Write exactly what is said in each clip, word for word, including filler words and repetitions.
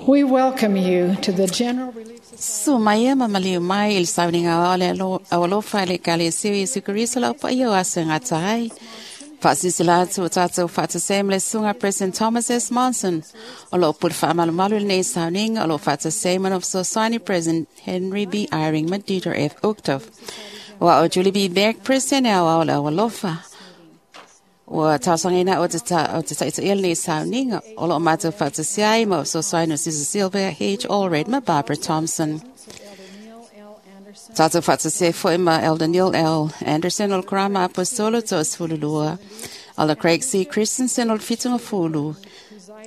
We welcome you to the General Relief Su mai ma maliu mai il sauniga o le aualofa le kale siu Iesu Keriso lau paia o aso e gata ai. Faasilasila atu o tatou faatasi ai ma le susuga President Thomas S. Monson o loo pule faamalumalu i lenei sauniga o loo faatasi ai ma na fesoasoani President Henry B. Eyring ma Dieter F. Uchtdorf. Ua o Julie B. Beck, President e aoao le aualofa. Ua tausagaina o te taitaia lenei sauniga o loo matou faatasi ai ma fesoasoani o Sister Sylvia H. Allred ma Barbara Thompson. Tatou faatasi ai foi ma Elder Neil L. Anderson o le Karama Aposolo toasefululua, Elder Craig C. Christensen o le Fitugafulu,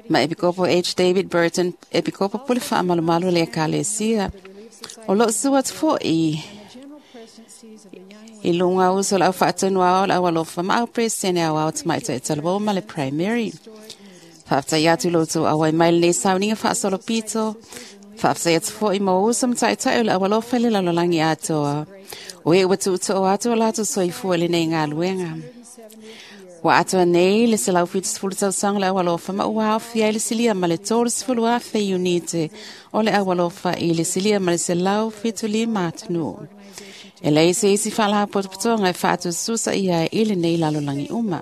ma Epikopo H. David Burton, Epikopo Pule Faamalumalu le Ekalesia. O loo sua atu fo'i i luga uso o le au faatonu ao le aualofa ma au presene au ao tamaitai talavou ma le primary. Faafetai atu i lo outou auai mai lenei sauniga faasolopito. Faafetai atu fo'i mo uso ma taitai o le aualofa i le lalolagi atoa. O e ua tuutoo atu o latou soifua i lenei galuega. Ua atoa nei le selau fitusefulu tausaga o le aualofa ma ua aofia ai le silia ma le tolusefulu afe iunite o le aualofa i le silia ma le selau fitulima atunuu. E leai se isi faalapotopotoga e faatususa ia i lenei lalolagi uma.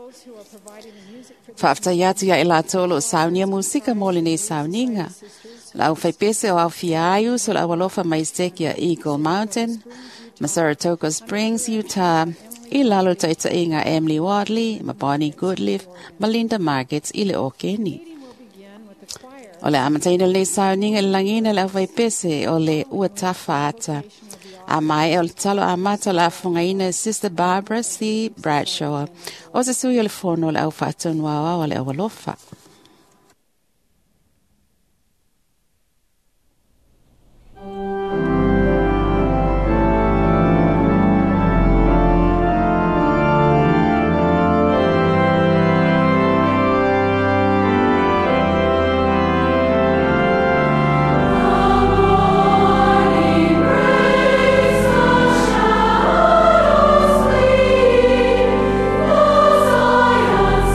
Faafetai atu ia i latou o loo saunia musika mo lenei sauniga. Le au faipese o aofia ai uso o le aualofa mai Seke Eagle Mountain, ma Saratoga Springs, Utah, i lalo o taitaiga Emily Wadley, ma Bonnie Goodleaf, ma Linda Margets i le Okeni. O le amataina o lenei sauniga i le lagiina le au faipese o le ua tafa ata. A mai o le talo amata o le afogaina e Sister Barbara C. Bradshaw, o se sui o le fono o le au faatonu aoao a le aualofa. Morning breaks the shadows flee, the Zion's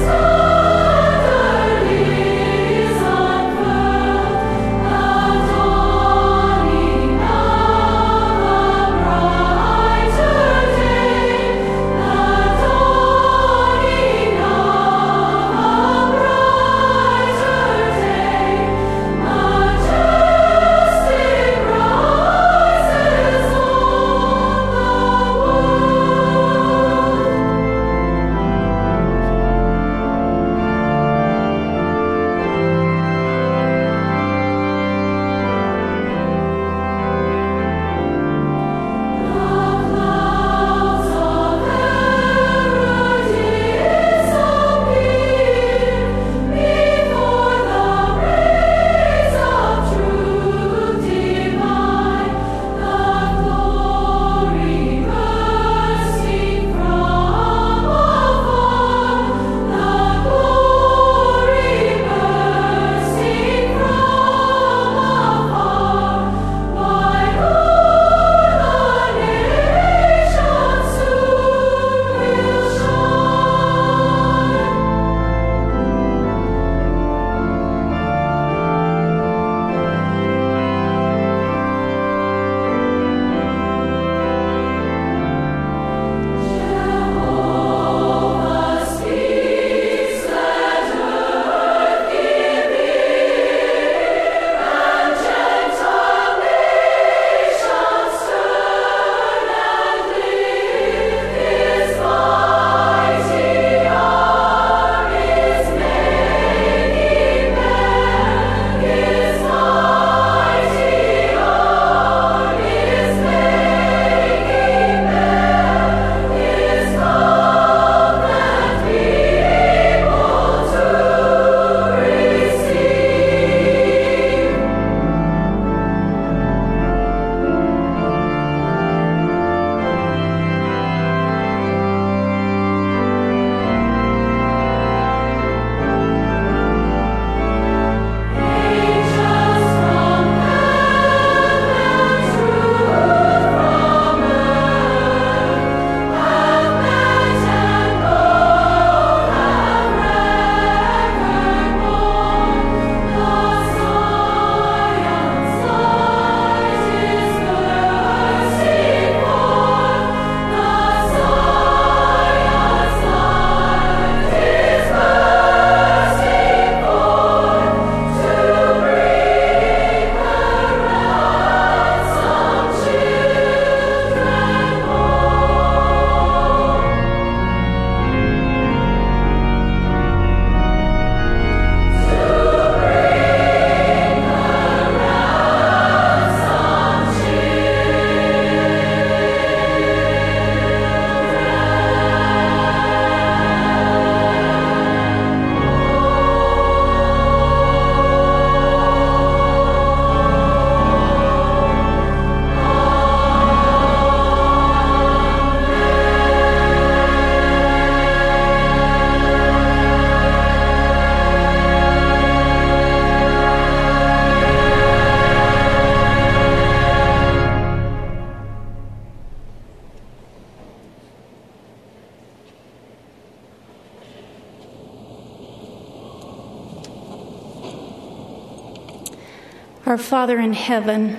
Our Father in heaven,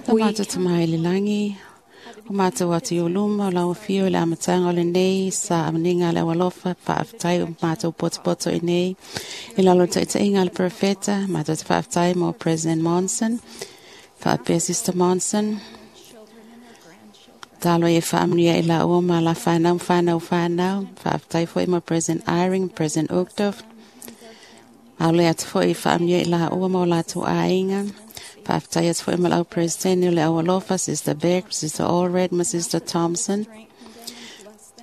Ta mātou te mai le langi, o mātou atu i o luma, o lau whio i le amatanga o le nei, sa amaninga le awalofa, whaaftai o mātou potopoto i nei, i lalo taitainga le profeta, mātou te whaaftai mo President Monson, whaapea Sister Monson, talo e whaamnia i la ua ma la whanau, whanau, whanau, whaaftai foi mo President Eyring, President Uchtdorf, Aule atu foi whaamnia i la ua ma o lātou āinga, whaaftai atu foi ma lau President o le awalofa, Sister Beck, Sister Allred, ma Sister Thompson.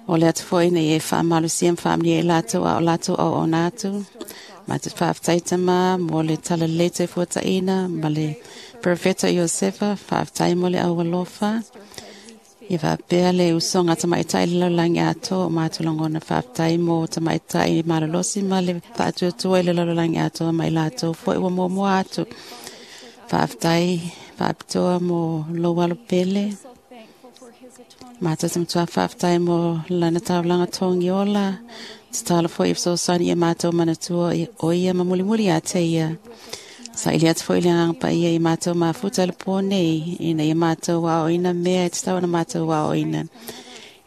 O le atu foi nei e whaamalusia ma whaamnia i lātou a o lātou au o nātu. Ma te whaaftai tama mo le talalete fuataina ma le Profeta Iosefa, whaaftai mo le awalofa. I whaapea le usonga tamaitai le laulangi ato o mātou langona whaaftai mo tamaitai malolosi ma le whaatuatua i le laulangi ato ma i lātou foi ua mua atu. Whaaftai whaapitoa mo lowalo pele. Mātou te matua whaaftai mo lana taulanga tongi ola. Te tala foi i whsosani e mātou manatua o ia ma mulimuli a te ia. Sa ili atu foi le nganga pa ia i mātou mafuta le pō nei, ina ia mātou wao ina mea e te tau na mātou wao ina.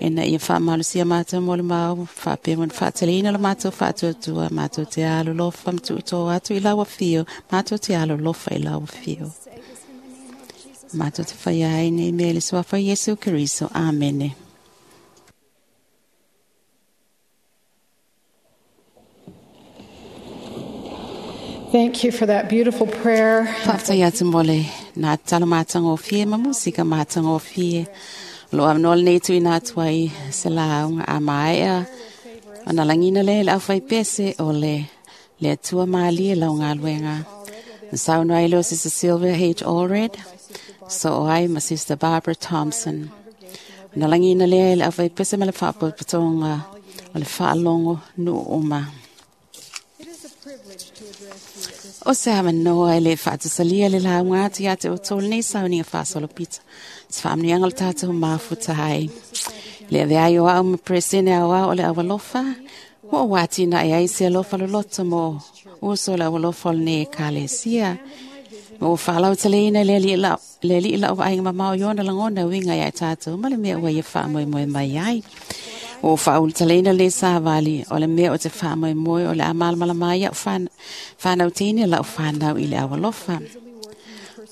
Ina ia whaamalusia mātou mo le mau, whaapea mo whaateleina le mātou whaatuatua, mātou te alo lofa mtuuto atu i laua whio, mātou te alo lofa i laua whio. Mātou te whaia ai nei mea le suafa Yesu Keriso. Amene. Thank you for that beautiful prayer. Whaaftai atu mo le nā talo mātanga o fie, ma musika mātanga o fie. Lo amno le nei tui nā tuai se launga a maea. O nā langina le le au whai pese o le le atua maali e lau ngā luenga. Saunu ai leo Sister Sylvia H. Allred, so o ai ma Sister Barbara Thompson. O nā langina le le au whai pese ma le whaapotopotonga o le whaalongo nu uma. O se amanoa e le whaatusalia le launga atu ia te o tōle nei sauninga whaasolopita. Te whaamnianga le tātou mafuta hai. Le avea ai o au ma presene au au o le awalofa. Mo o wāti na e ai se alofa loloto mo uso le awalofa o le ne kalesia. Mo o whaalau taleina le li lau le li lau vainga mamao iona langona winga ia tātou. Ma le mea ua ia whaamoe moe mai ai. O whaul taleina le sāwali o le mea o te whaamoe moe o le amalmalama ia o whanau tēne lau whanau i le awalofa.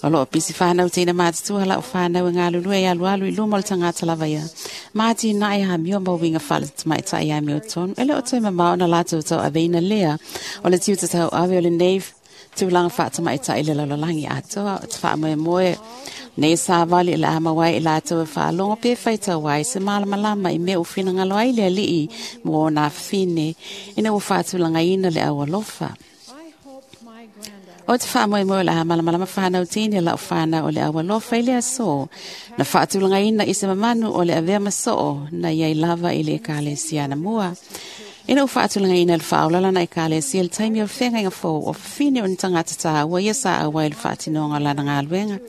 O loo pisi whanau tēne mātatua lau whanau e ngā lulue i alu alu i luma o le tangata lava ia. Māti nai ha mio mau winga whala tamaitai ia meo tonu. Ele o toi mamao na lātou tau aveina lea o le tiuta tau ave o le nei tūlanga whaatamaitai le lalalalangi atoa o te whaamoe moe. Nei sāwali i la amawai i lātou e whaalongo pe whaita wai se malamalama i mea u whina ngalo ai le alii mō nā whine ina ua whaatulanga ina le awalofa. O te whaamoe moe la malamalama whanau tēne lau whanau o le awalofa i le aso. Na whaatulanga ina i se mamanu o le avea masoo na iai lava i le ekalesia na mua. Ina u whaatulanga ina le whaolala na ekalesia le taimi o whenga inga fō o whine o ni tangata tāua ia sa awa i le whaatinonga lana ngā luenga.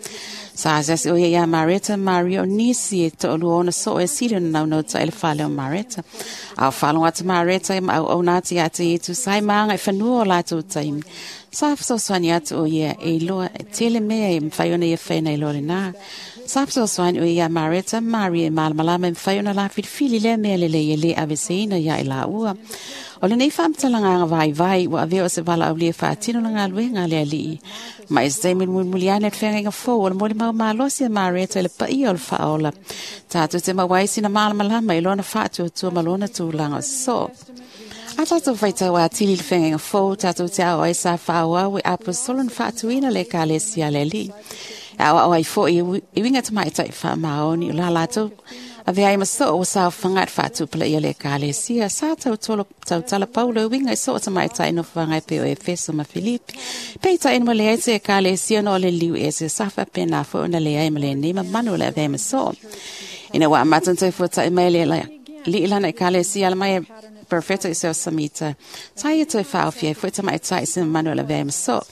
Sa asasi o ia ia Mareta Maria o nisi e to'olua ona so'o e sili o na naunau ta i le fale o Mareta. Au whalonga atu Mareta e ma au au nā te atu i tu sai maanga e whanua o lātou taimi. Sa whasoswani atu o ia e iloa e tele mea e mwhai ona ia whaina i loa le nā. Sa whasoswani o ia Mareta Maria e malamalama e mwhai ona la filifili lea mea lele ia le aveseina ia i la ua. O le nei whaamtalanga vai vai ua avea o se wala au lia whaatino la ngā luenga le alii. Ma e se taimi mulimuliane le whenga fō o le moli mau malosi a Mareta i le paia o le whaola. Tātou te mawaisi na malamalama i lona whaatuatua ma lona tūlanga o so. A tātou whaitau a tili le whenga fō, tātou te ao ai sa whaawau e apostolo na whaatuina le kalesia le alii. Au au ai fō i winga tamaitai wha maoni o la lātou. Ave ai maso o sa whangat whātu pala ia le kalesia. Sa tau tolo tau tala paulo winga i so tamaitai no whangai pe o Efeso ma Filipi. Peita ina mo le ai te kalesia no le liu e se safa pena fo na le ai ma le nei ma manu le ave maso. Ina wa matan te fuata i mai le li ilana i kalesia la mai Perfeta Iosefo Samita. Sa ia toe faaofia ai foi tamaitai se mamalu o le avea ai ma soo.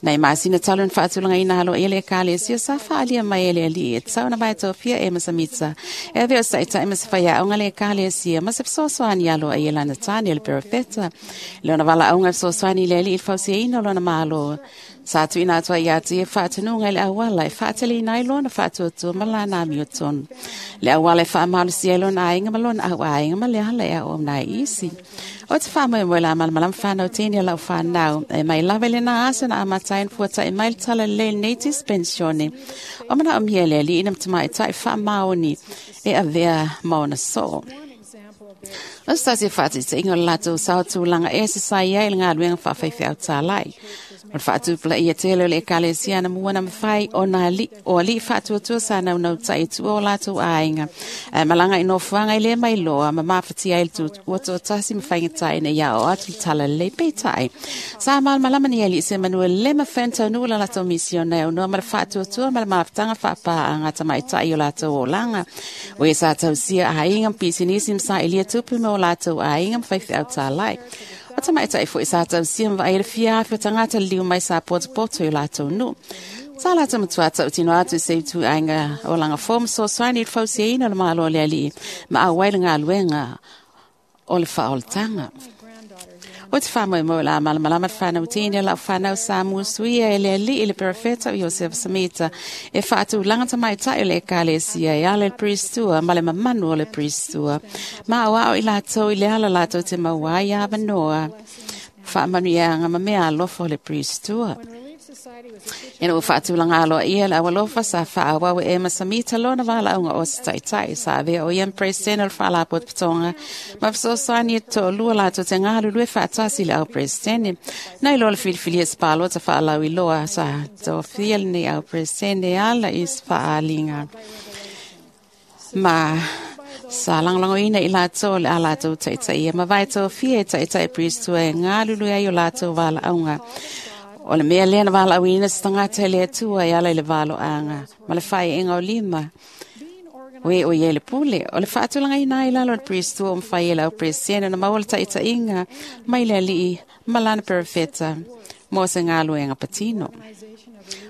Nai masina talu na faatulagaina aloaia le ekalesia sa faaalia mai e le alii e tatau ona vaetofia Ema Samita e avea o se taʻitaʻi ma se faiaoga le ekalesia ma se fesoasoani aloaia lana tane o le perofeta. Lona valaauga e fesoasoani i le alii i le fausiaina o lona malo. Sa tuuina atu ai ia te ia faatonuga i le auala e faateleina ai lona faatuatua ma lana amiotonu. Le auala e faamalosia ai lona aiga ma lona auaiga ma le ala e aoauna ai isi. O te faamoemoe la malamalama whanau tēne o lau whanau. E mai lava i lena aso na amata ai ona fuataʻi mai le tala lelei lenei dispensione. O manaomia e le alii na matamaʻitaʻi faamaoni e avea ma ona soo. O se tasi o faataitaiga o le latou sao tulaga ese sa i ai i le galuega faafaifeau tālai. O le faatupulaia tele o le ekalesia anamua na mafai ona alii o alii faatuatua sa naunautai i tua o latou aiga. Ae malaga i nofoaga i le mailoa ma mafatia ai le ua toatasi ma faigata ina ia oo atu le tala lelei peitai. Sa malamalama ni alii se manu e le mafai ona taunuu la latou misiona e aunoa ma le faatuatua ma le mafutaga faapaaga a tamaitai o latou olaga. O ia sa tausia aiga ma pisinisi ma saʻilia tupe ma o latou aiga ma faifeau tālai. O tamaitai foi sa tausia ma vaai le fia afe o tagata liliu mai sa potopoto i o latou nuu. Sa latou matua tautino atu i se ituaiga olaga fou ma fesoasoani i le fausiaina o le Malo o le Alii ma auai le galuega o le faaolataga. O te faamoemoe o le a malamalama le whanau tini o lau whanau sa musuia e le alii i le perofeta o Iosefa Samita e faatulaga tamaitai o le ekalesia e ala i le priestua ma le mamanu o le priestua. Ma o ao i latou i le ala latou te maua ai avanoa faamanuiaga ma mea alofa o le priestua. Ina ua faatulaga aloaia le aualofa sa faaauau e Ema Samita lona valaauga o se taʻitaʻi sa avea o ia ma President o le Faalapotopotoga ma fesoasoani e toalua latou te galulue faatasi i le au President. Nai loa le filifilia se palota faalauiloa sa tofia lenei au President e ala i se faaaliga ma sa lagolagoina i latou le a latou taitaia ma vaetofia e taʻitaʻi Priestua e galulue ai o latou valaauga. O le mea lea na valaauina se tagata e le Atua e ala i le valoaga ma le faaiuga o lima. O e o ia i le pule, o le faatulagaina ai lalo o le priestua o mafai e le au president ona maua le taʻitaʻiga mai le alii ma lana perofeta mo se galuega patino.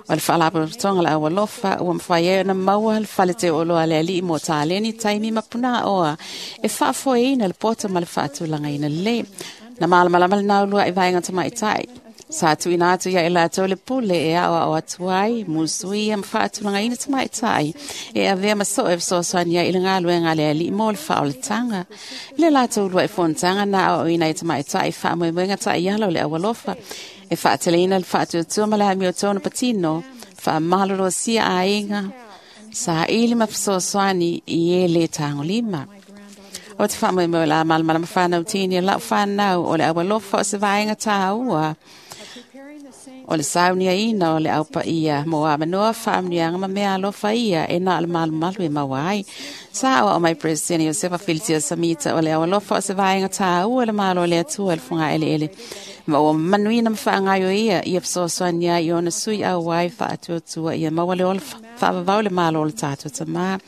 O le faalapotopotoga o le aualofa ua mafai ai ona maua le fale teuoloa a le alii mo taleni taimi ma punaoa e faafoeina le poto ma le faatulagaina lelei. Na malamalama le naulua i vaega tamaitai. Sa tuuina atu ia i latou le pule e aoao atu ai, musuia ma faatulagaina tamaitai e avea ma soo e fesoasoani ai i le galuega a le alii mo le faaolataga. I le latou uluai fonotaga na aoaoina ai tamaitai faamoemoega taiala o le aualofa e faateleina le faatuatua ma le amiotonu patino, faamalolosia aiga, saili ma fesoasoani i e lē tagolima. O te faamoemoe o le a malamalama whanau tini lau whanau o le aualofa o se vaega tāua. O le sauniaina o le aupaia mo avanoa faamanuiaga ma mea alofa ia e na o le malumalu e maua ai. Sa aoao mai President Iosefa Filitia Samita o le aualofa o se vaega tāua le Malo o le Atua i le fogaeleele. Ma ua manuina ma faagaioia ia fesoasoani ai i ona sui auai faatuatua ia maua le ola faavavau le Malo o le tatou Tamā.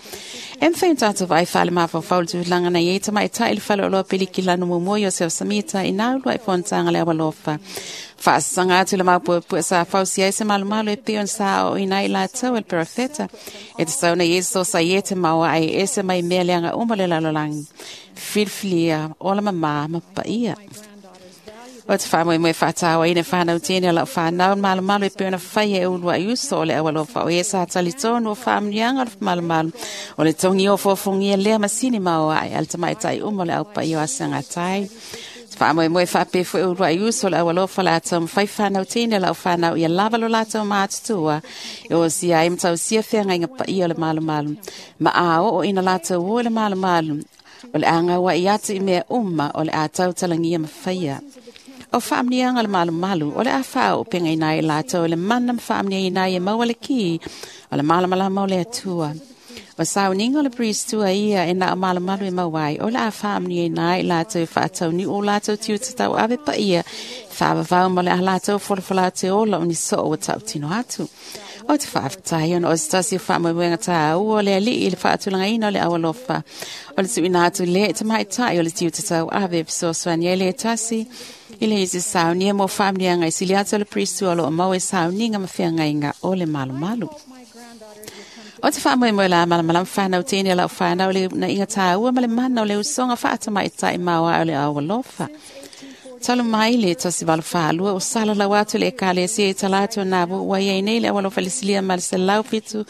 E mafai ona tatou vaai faale-mafaufau le tulaga na i ai tamaitai i le faleoloa pilikilanu muamua Iosefa Samita i nā uluai fonotaga le aualofa. Faasasaga atu le maupuepue sa fausia ai se malumalu e pei ona sa aoaoina ai i latou e le perofeta. E tatau ona Iesu sa ia te maua ai ese mai mea leaga uma o le lalolagi. Filifilia, ola mamā ma paia. O te faamoemoe faatauaina e whanau tēne o lau whanau malumalu e pei ona faia e uluai uso o le aualofa o ia sa talitonu o faamanuiaga o le malumalu o le togi o fofogia lea masini maoaʻe a le tamaitai uma o le aupaia o Asagatai. Te faamoemoe faapea foi uluai uso o le aualofa o le a taumafai whanau tēne o lau whanau ia lava lo latou matutua e osia ai ma tausia feagaiga paia o le malumalu ma a oo ina latou o i le malumalu o le a gauaʻi atu i mea uma o le a tautalagia ma faia. O faamanuiaga o le malumalu o le a faaoopegaina ai i latou i le mana ma faamanuiaina ai e maua le ki o le malamalama o le Atua. O sauniga o le priest tua ia e na o malumalu e mauai. O le a whaamni e nai lātou whaatau ni o lātou tiu te tau ave pa ia. Whaavavau ma le a lātou wholawhala te ola o ni so o tau tino atu. O te whaaftai ona o se tasi o whaamoemoenga tā ua le ali i le whaatulanga ina o le awalofa. O le tuina atu le te mai tai o le tiu te tau ave fesoasoani ai le tasi. I le isi saunia mo whaamnianga i sili atu o le priest tua o lo o mau e sauniga ma whiangainga o le malumalu. O te whaamoemoe la malamalam whanau tēne lau whanau le na inga tāua ma le mana o le usonga whaata mai tai maua o le awalofa. Talu mai le tasi walu whaalua o sala lau atu le ekalesia i talatu nā wo ua iai nei le awalofa le silia ma le selau fitu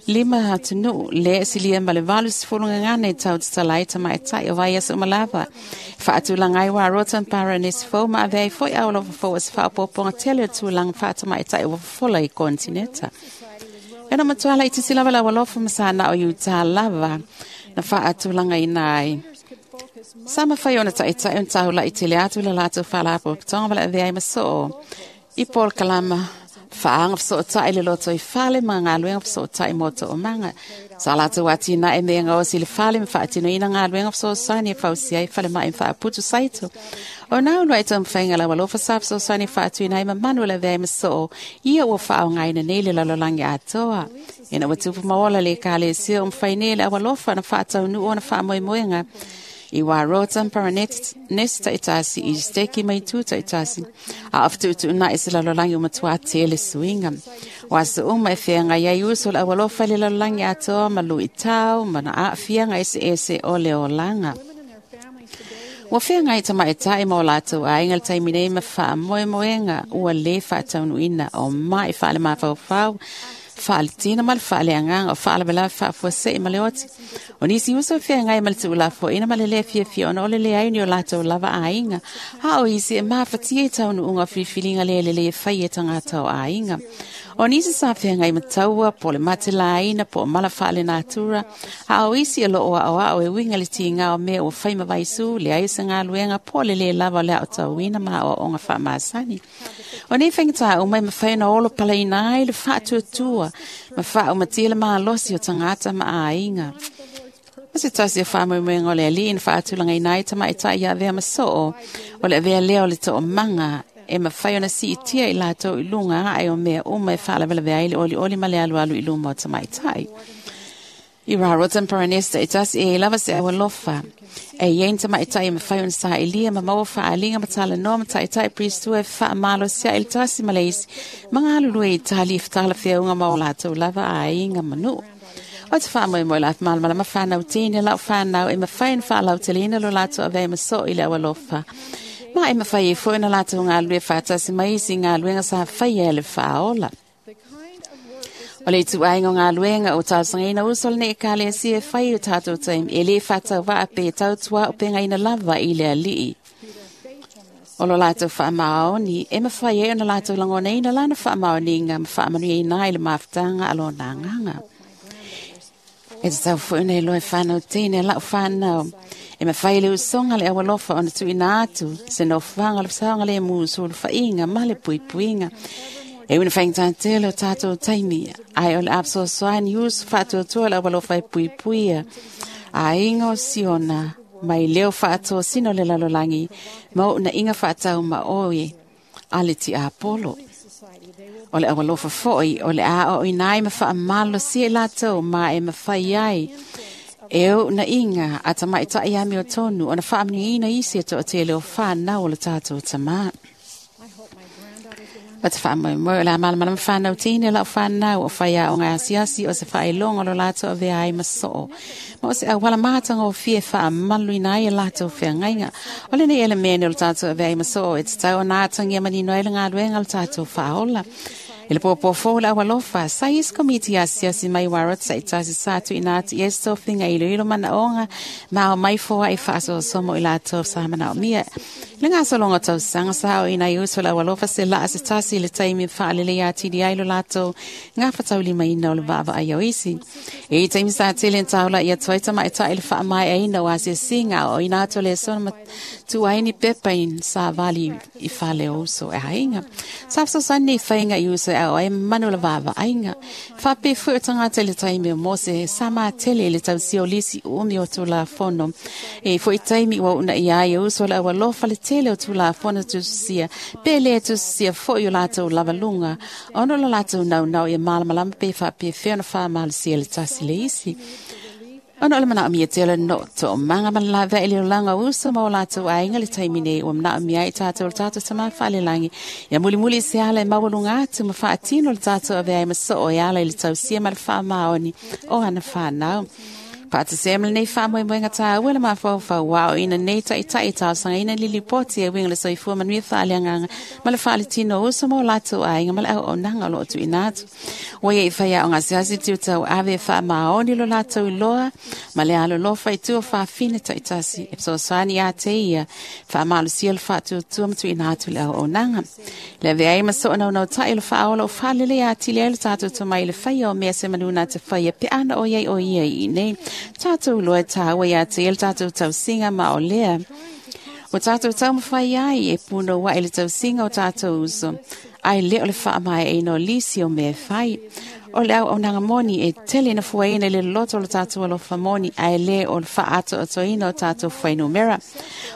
lima atunu le silia ma le valu sifulu ngane tau te talai tamai tai o vai aso malava. Whaatulangai wa rotan para nes fo ma avei foi awalofa fo as whaopoponga tele tulang whaata mai tai o fola i kontineta. Ena matuala i tisi lava la walofa masana o yuta lava na whaatulanga inai. Sa mawhai ona tai tai on taula i tele atu la lātou whalapo tonga wala avea i masoo. I pol kalama whaanga whaso tai le loto i whale ma ngā luenga whaso tai moto o manga. Sa lātou ati na e mea ngā osi le whale ma whaatino ina ngā luenga whaso sani e whausi ai whale ma e whaaputu saito. O nā unu ai tamwhainga la walofa sa whaso sani whaatu ina i mamanu la vea i masoo. Ia ua whaao ngaina nei le lalolangi atoa. Ina ua tupu maola le kale sio umwhai nei le awalofa na whaatau nu o na whaamoemoenga. I wā rotan para nesta i tasi, i steki mai tūta i tasi. A awhatutu una i se lalolangi umatua tele suinga. Wā se uma e whianga iai uso la awalofa le lalolangi atoa ma lui tau, ma na a whianga ese ese o le olanga. Ua whianga i tama e tae mō lātou a inga le taimi nei ma wha moemoenga ua le whaataunuina o mai whaale mawhauwhau. Whaale ma le whaale anganga o whaale wala whaafua se i male oti. O nisi uso whia ngai male tuulafo ina male le fia fia ona ole le aini o lātou lava a inga. Ha o isi e maawhatia i taunu unga whiwhilinga le le le whai e tangata o a inga. O nisi sa whia ngai mataua po le mate la ina po mala whaale natura. Ha o isi e loo a o a o e winga le tinga o mea o whai mawaisu le aisa ngā luenga po le le lava le o tauina ma o onga whaamasani. O nei whangata o mai mawhai na olo pala ina ai le whaatuatua ma wha o matila maa losi o tangata ma a inga. O se tasi o whaamoemoenga o le ali ina whaatulanga ina i tama i tai ia avea masoo o le avea leo le too manga e mawhai ona si itia i lātou i lunga ai o mea uma e whaalawela ai le oli oli ma le alu alu i luma o tama i tai. I rā rotan paranesta i tasi e lava se awalofa. E ien tama i tai mawhai ona sa ilia ma maua whaalinga matala noa ma tai tai priestua e whaamalo sia il tasi maleisi. Mga alulue i tali whtala whiaunga ma o lātou lava a inga manu. O te whaamoemoe la malamala ma whanau tēne lau whanau e mawhai na whaalau te lina lo lātou avea maso i le awalofa. Ma e mawhai e fo ina lātou ngā lue whaatasi maisi ngā luenga sa whai e le whaola. O le tuainga o ngā luenga o tausangaina uso le ne kale si e whai o tātou taim e le whatau waa pe tautua o pengaina lava i le alii. O lo lātou whaamaoni, e mawhai e ona lātou langona ina lana whaamaoni ngā mawhaamanui e nai le mawhtanga alo nā nganga. E te tau fuina i loe whanau tēne lau whanau. E mawhai le usonga le awalofa ona tuina atu, se no whanga le whaanga le musu le whainga ma le puipuinga. E una whainga o tātou taimi, ai o le apsosoani usu whaatuatua le awalofa e puipuia. A inga o siona, mai leo whaatua sino le lalolangi, mau na inga whaatau ma oi, a le ti Apollo. O le awalofa foi, o le a o inai ma whaamalo si e lātou ma e mawhai ai. E o na inga, a tamai tai ami o tonu, o na whaamni ina isi e to te leo whanau o le tātou tama. O te whaamoemoe o la malamala whanau tēne lau whanau o whaia o ngā asiasi o se whaelonga lo lātou avea ai masoo. Ma o se awala mātanga o fie whaamalu ina ai e lātou whiangainga. O le nei ele mene o le tātou avea ai masoo e te tau o nā tangia manino ai le ngā luenga le tātou whaola. E le pōpō fōla awalofa, sa is komiti asiasi mai warot sa i tasi sātu ina atu i esto finga ilo ilo mana onga, ma o mai fōa i whaaso somo i lātou sa mana o mia. Le ngā solonga tau sanga sa o ina i uso la awalofa se laa se tasi le taimi whaalele ia tini ai lo lātou ngā whatauli mai ina o le vaava ai o isi. E i taimi sa tele ntaula ia tuaita ma e tai le whaamai ai ina o asia singa o ina ato le sona ma tuaini pepa in sa vali i whale o uso e hainga. Sa whasosani i whainga i uso e au ai manu la vaavaaiga. Faapea foi o tagata i le taimi o Mose sa matele i le tausia o lisi umi o Tulafono. E foi taimi ua uunaia ai e uso o le aualofa le tele o Tulafono tususia, pe lē tususia foi o latou lavaluga, ona o lo latou naunau ia malamalama pe faapefea ona faamalosia le tasi le isi. Ona o le manaomia tele no toomaga ma le laveai i le olaga o uso ma o latou aiga le taimi nei ua manaomia ai tatou le tatou Tamā Faalelagi ia mulimuli se ala e maualuga atu ma faatino le tatou avea ai ma soo e ala i le tausia ma le faamaoni o ana fanau. Faatasia ma lenei faamoemoega tāua le mafaufau aoina nei taʻitaʻi talosagaina le lipoti e uiga le soifua manuia faaleagaga ma le faaletino o uso ma o latou aiga ma le auaunaga o loo tuuina atu. Ua ia i faiaoga asiasi tiutau ave e faamaoni lo latou iloa ma le alolofa i tua fafine taʻitasi e fesoasoani ia te ia faamalosia le faatuatua ma tuuina atu le auaunaga. Le avea ai ma soo naunautaʻi le faaola o faalelei atili ai le tatou tomai i le faia o mea se manu na te faia pe ana o iai o ia i nei. Tatou loa tāua ia te ele tatou tausiga ma o lea. O tatou taumafai ai e punouaʻi le tausiga o tatou uso, ae lē o le faamaeaina o lisi o mea e fai. O le auaunaga moni e tele ina fuaina i le loloto o le tatou alofa moni, ae lē o le faaatoatoina o tatou fuainumera.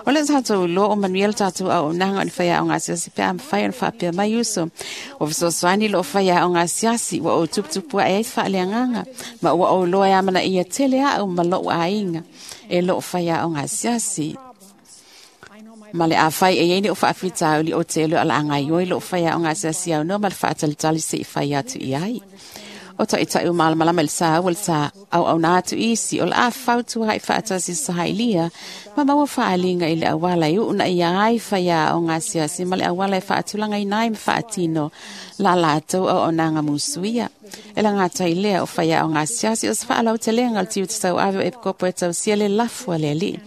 O le tatou iloa o manuia le tatou auaunaga o ni faiaoga asiasi pe a mafai ona faapea mai uso. Ua fesoasoani loo faiaoga asiasi ua ou tuputupuaʻe ai faaleagaga, ma ua ou iloa e amanaia tele aʻu ma loʻu aiga e loo faiaoga asiasi. Ma le afai e iai ni o faafitauli o te iloa o le a gaioi loo faiaoga asiasi aunoa ma le faatalitali seʻi fai atu i ai. O taʻitaʻi o malamalama i le saua le sa auauna atu isi o le a fautuaʻi faatasi sahailia ma maua faaliga i le auala e uunaia ai faiaoga asiasi ma le auala e faatulagaina ai ma faatino la latou auaunaga musuia. E lagata i lea o faiaoga asiasi o se faalautelega o le tiute tauave o epikopo e tausia le lafu a le alii.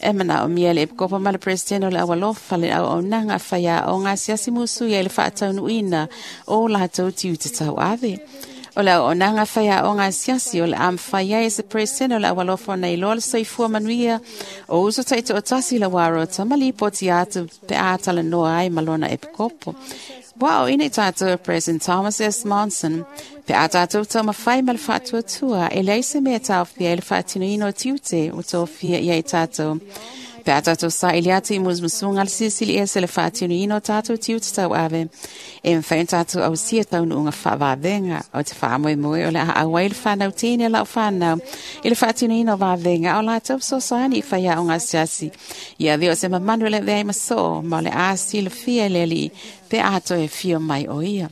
E manaomia le epikopo ma le peresetene o le aualofa le auaunaga a faiaoga asiasi musuia i le faataunuuina o latou tiute tauave. O le auaunaga faiaoga asiasi o le a mafai ai e se peresetene o le aualofa ona iloa le soifua manuia o uso taitoatasi le uarota ma lipoti atu pe a talanoa ai ma lona epikopo. Ua aoina i tatou e President Thomas S. Monson, pe a tatou taumafai ma le faatuatua e leai se mea taofia ai le faatinoina o tiute ua tofia ia i tatou. Pe a tatou saili atu i musumusuga le silisili ese le faatinoina o tatou tiute tauave, e mafai ona tatou ausia taunuuga faavavega o te faamoemoe o le a auai le fanau teine lau fanau i le faatinoina o vavega o latou fesoasoani i faiaoga asiasi. Ia avea o se mamanu e le avea ai ma soo ma o le a silafia e le alii pe a toe fio mai o ia.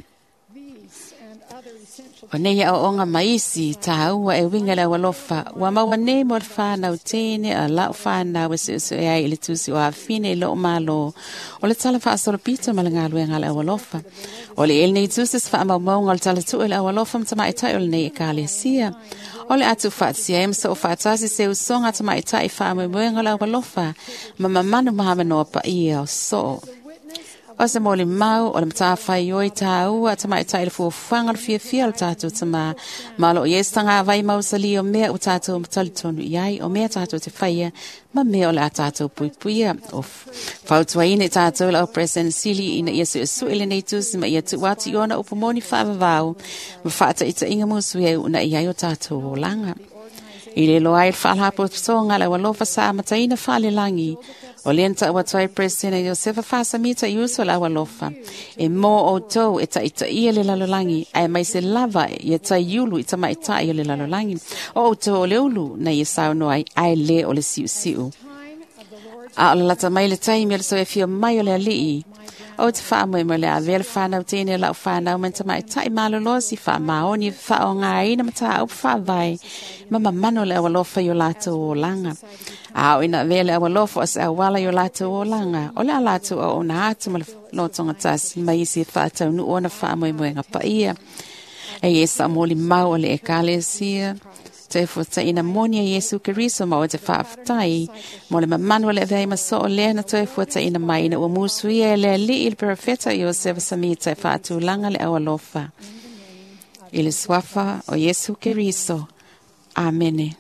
O nei aoaoga ma isi tāua e uiga le aualofa ua maua nei mo le fanau teine a lau fanau e suesueai ai i le tusi o afine i loo malo o le tala faasolopito ma le galuega a le aualofa. O le ele nei tusi se faamaumauga o le talatuu i le aualofa ma tamaʻitaʻi o lenei ekalesia. O le atu faatasia ai ma soo faatasi se usoga tamaʻitaʻi faamoemoega o le aualofa ma mamanu ma avanoa paia o soo. O se moli mau o le matafai oi tāua tamaʻitaʻi le fuafuaga o le fiafia o le tatou tamā. Ma o loo i ai se tagavai mausali o mea ua tatou matalitonu i ai, o mea tatou te faia ma mea o le a tatou puipuia. O fautuaina i tatou lau President Sili ina ia suesue lenei tusi ma ia tuu atu i ona upu moni faavavau ma faataʻitaʻiga musuia e uunaia ai o tatou olaga. I le loa ai le faalapotopotoga le aualofa sa amataina faalelagi. O lea na taʻu atu ai President Iosefa Faasamita i uso le aualofa. E mō outou e taʻitaʻia le lalolagi, ae mai se lava ia taiulu i tamaʻitaʻi o le lalolagi. O outou o le ulu na ia saunoa ai, ae lē o le siusiu. A o le lata mai le taimi o le soifia mai o le alii. O te faamoemoe le avea le fanau teine lau fanau ma tamaʻitaʻi malolosi faamaoni faaaogāina mataupu faavae ma mamano le aualofa i o latou olaga. A o ina avea le aualofa o se auala i o latou olaga, o le a latou auauna atu ma le lotogatasi ma isi e faataunuu ona faamoemoega paia. E ie sa moli mau o le ekalesia. Te fuataʻina moni a Iesu Keriso ma o te faafetai mo le mamanu o le avea ai ma soo lea na toe fuataʻina mai ina ua musuia e le alii le perofeta Iosefa Samita e faatulaga le aualofa. I le suafa o Iesu Keriso. Amene.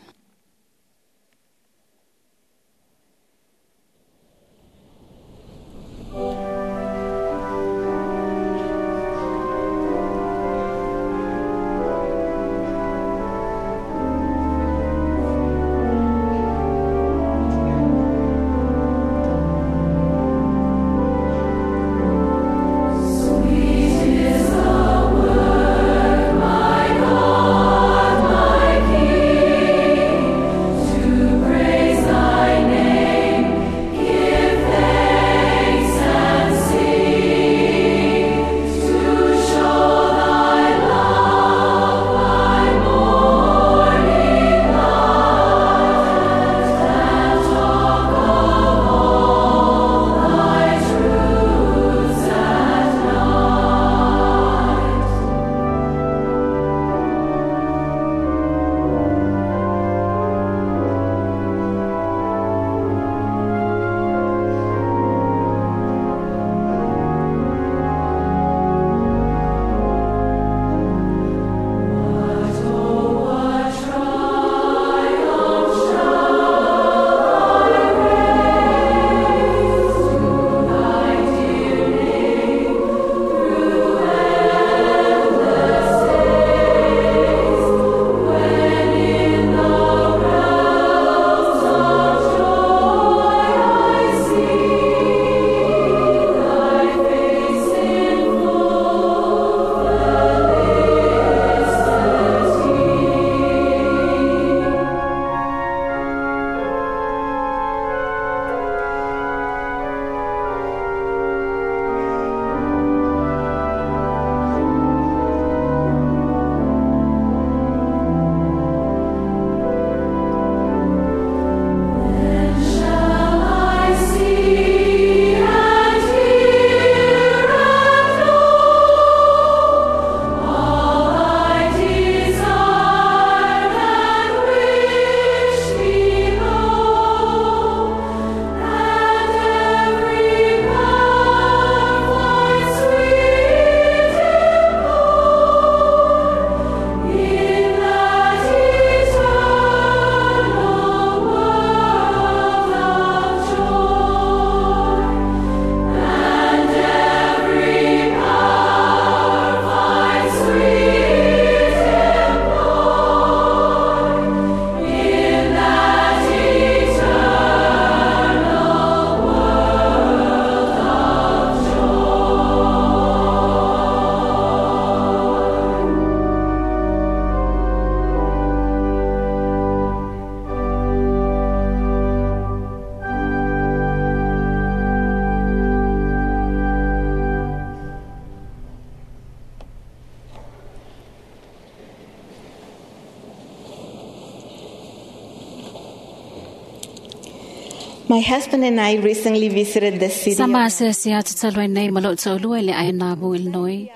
My husband and I recently visited the city. Sama asiasi atu talu ai nei ma lou toalua i le aina i Illinois.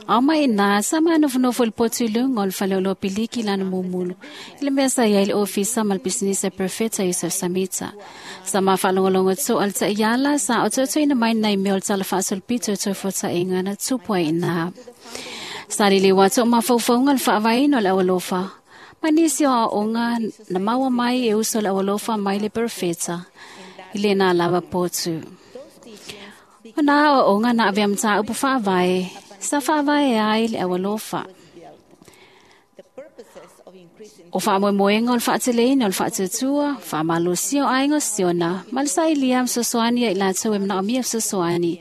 Ao mai ina, sama nofonofo i le potu i luga o le faleoloa piliki lana mumulu. I le mea sa iai le ofisa ma le pisinisi a Perfeta Yosef Samita. Sama faalogologo toa le taiala sa ototoina mai nai mea o le tala faasolopito e toe fuataʻiga na tupu ai ina. Sa liliu atu o mafaufauga le faavaeina o le aualofa. Ma nisi o aoaoga na maua mai e uso le aualofa mai le Perfeta i lena lava potu. O nā aoaoga na avea mataupu faavae sa faavae ai le aualofa. O faamoemoega o le faateleina o le faatuatua, faamalosia o aiga o Siona, ma le sailia ma fesoasoani ia i latou e manaomia fesoasoani,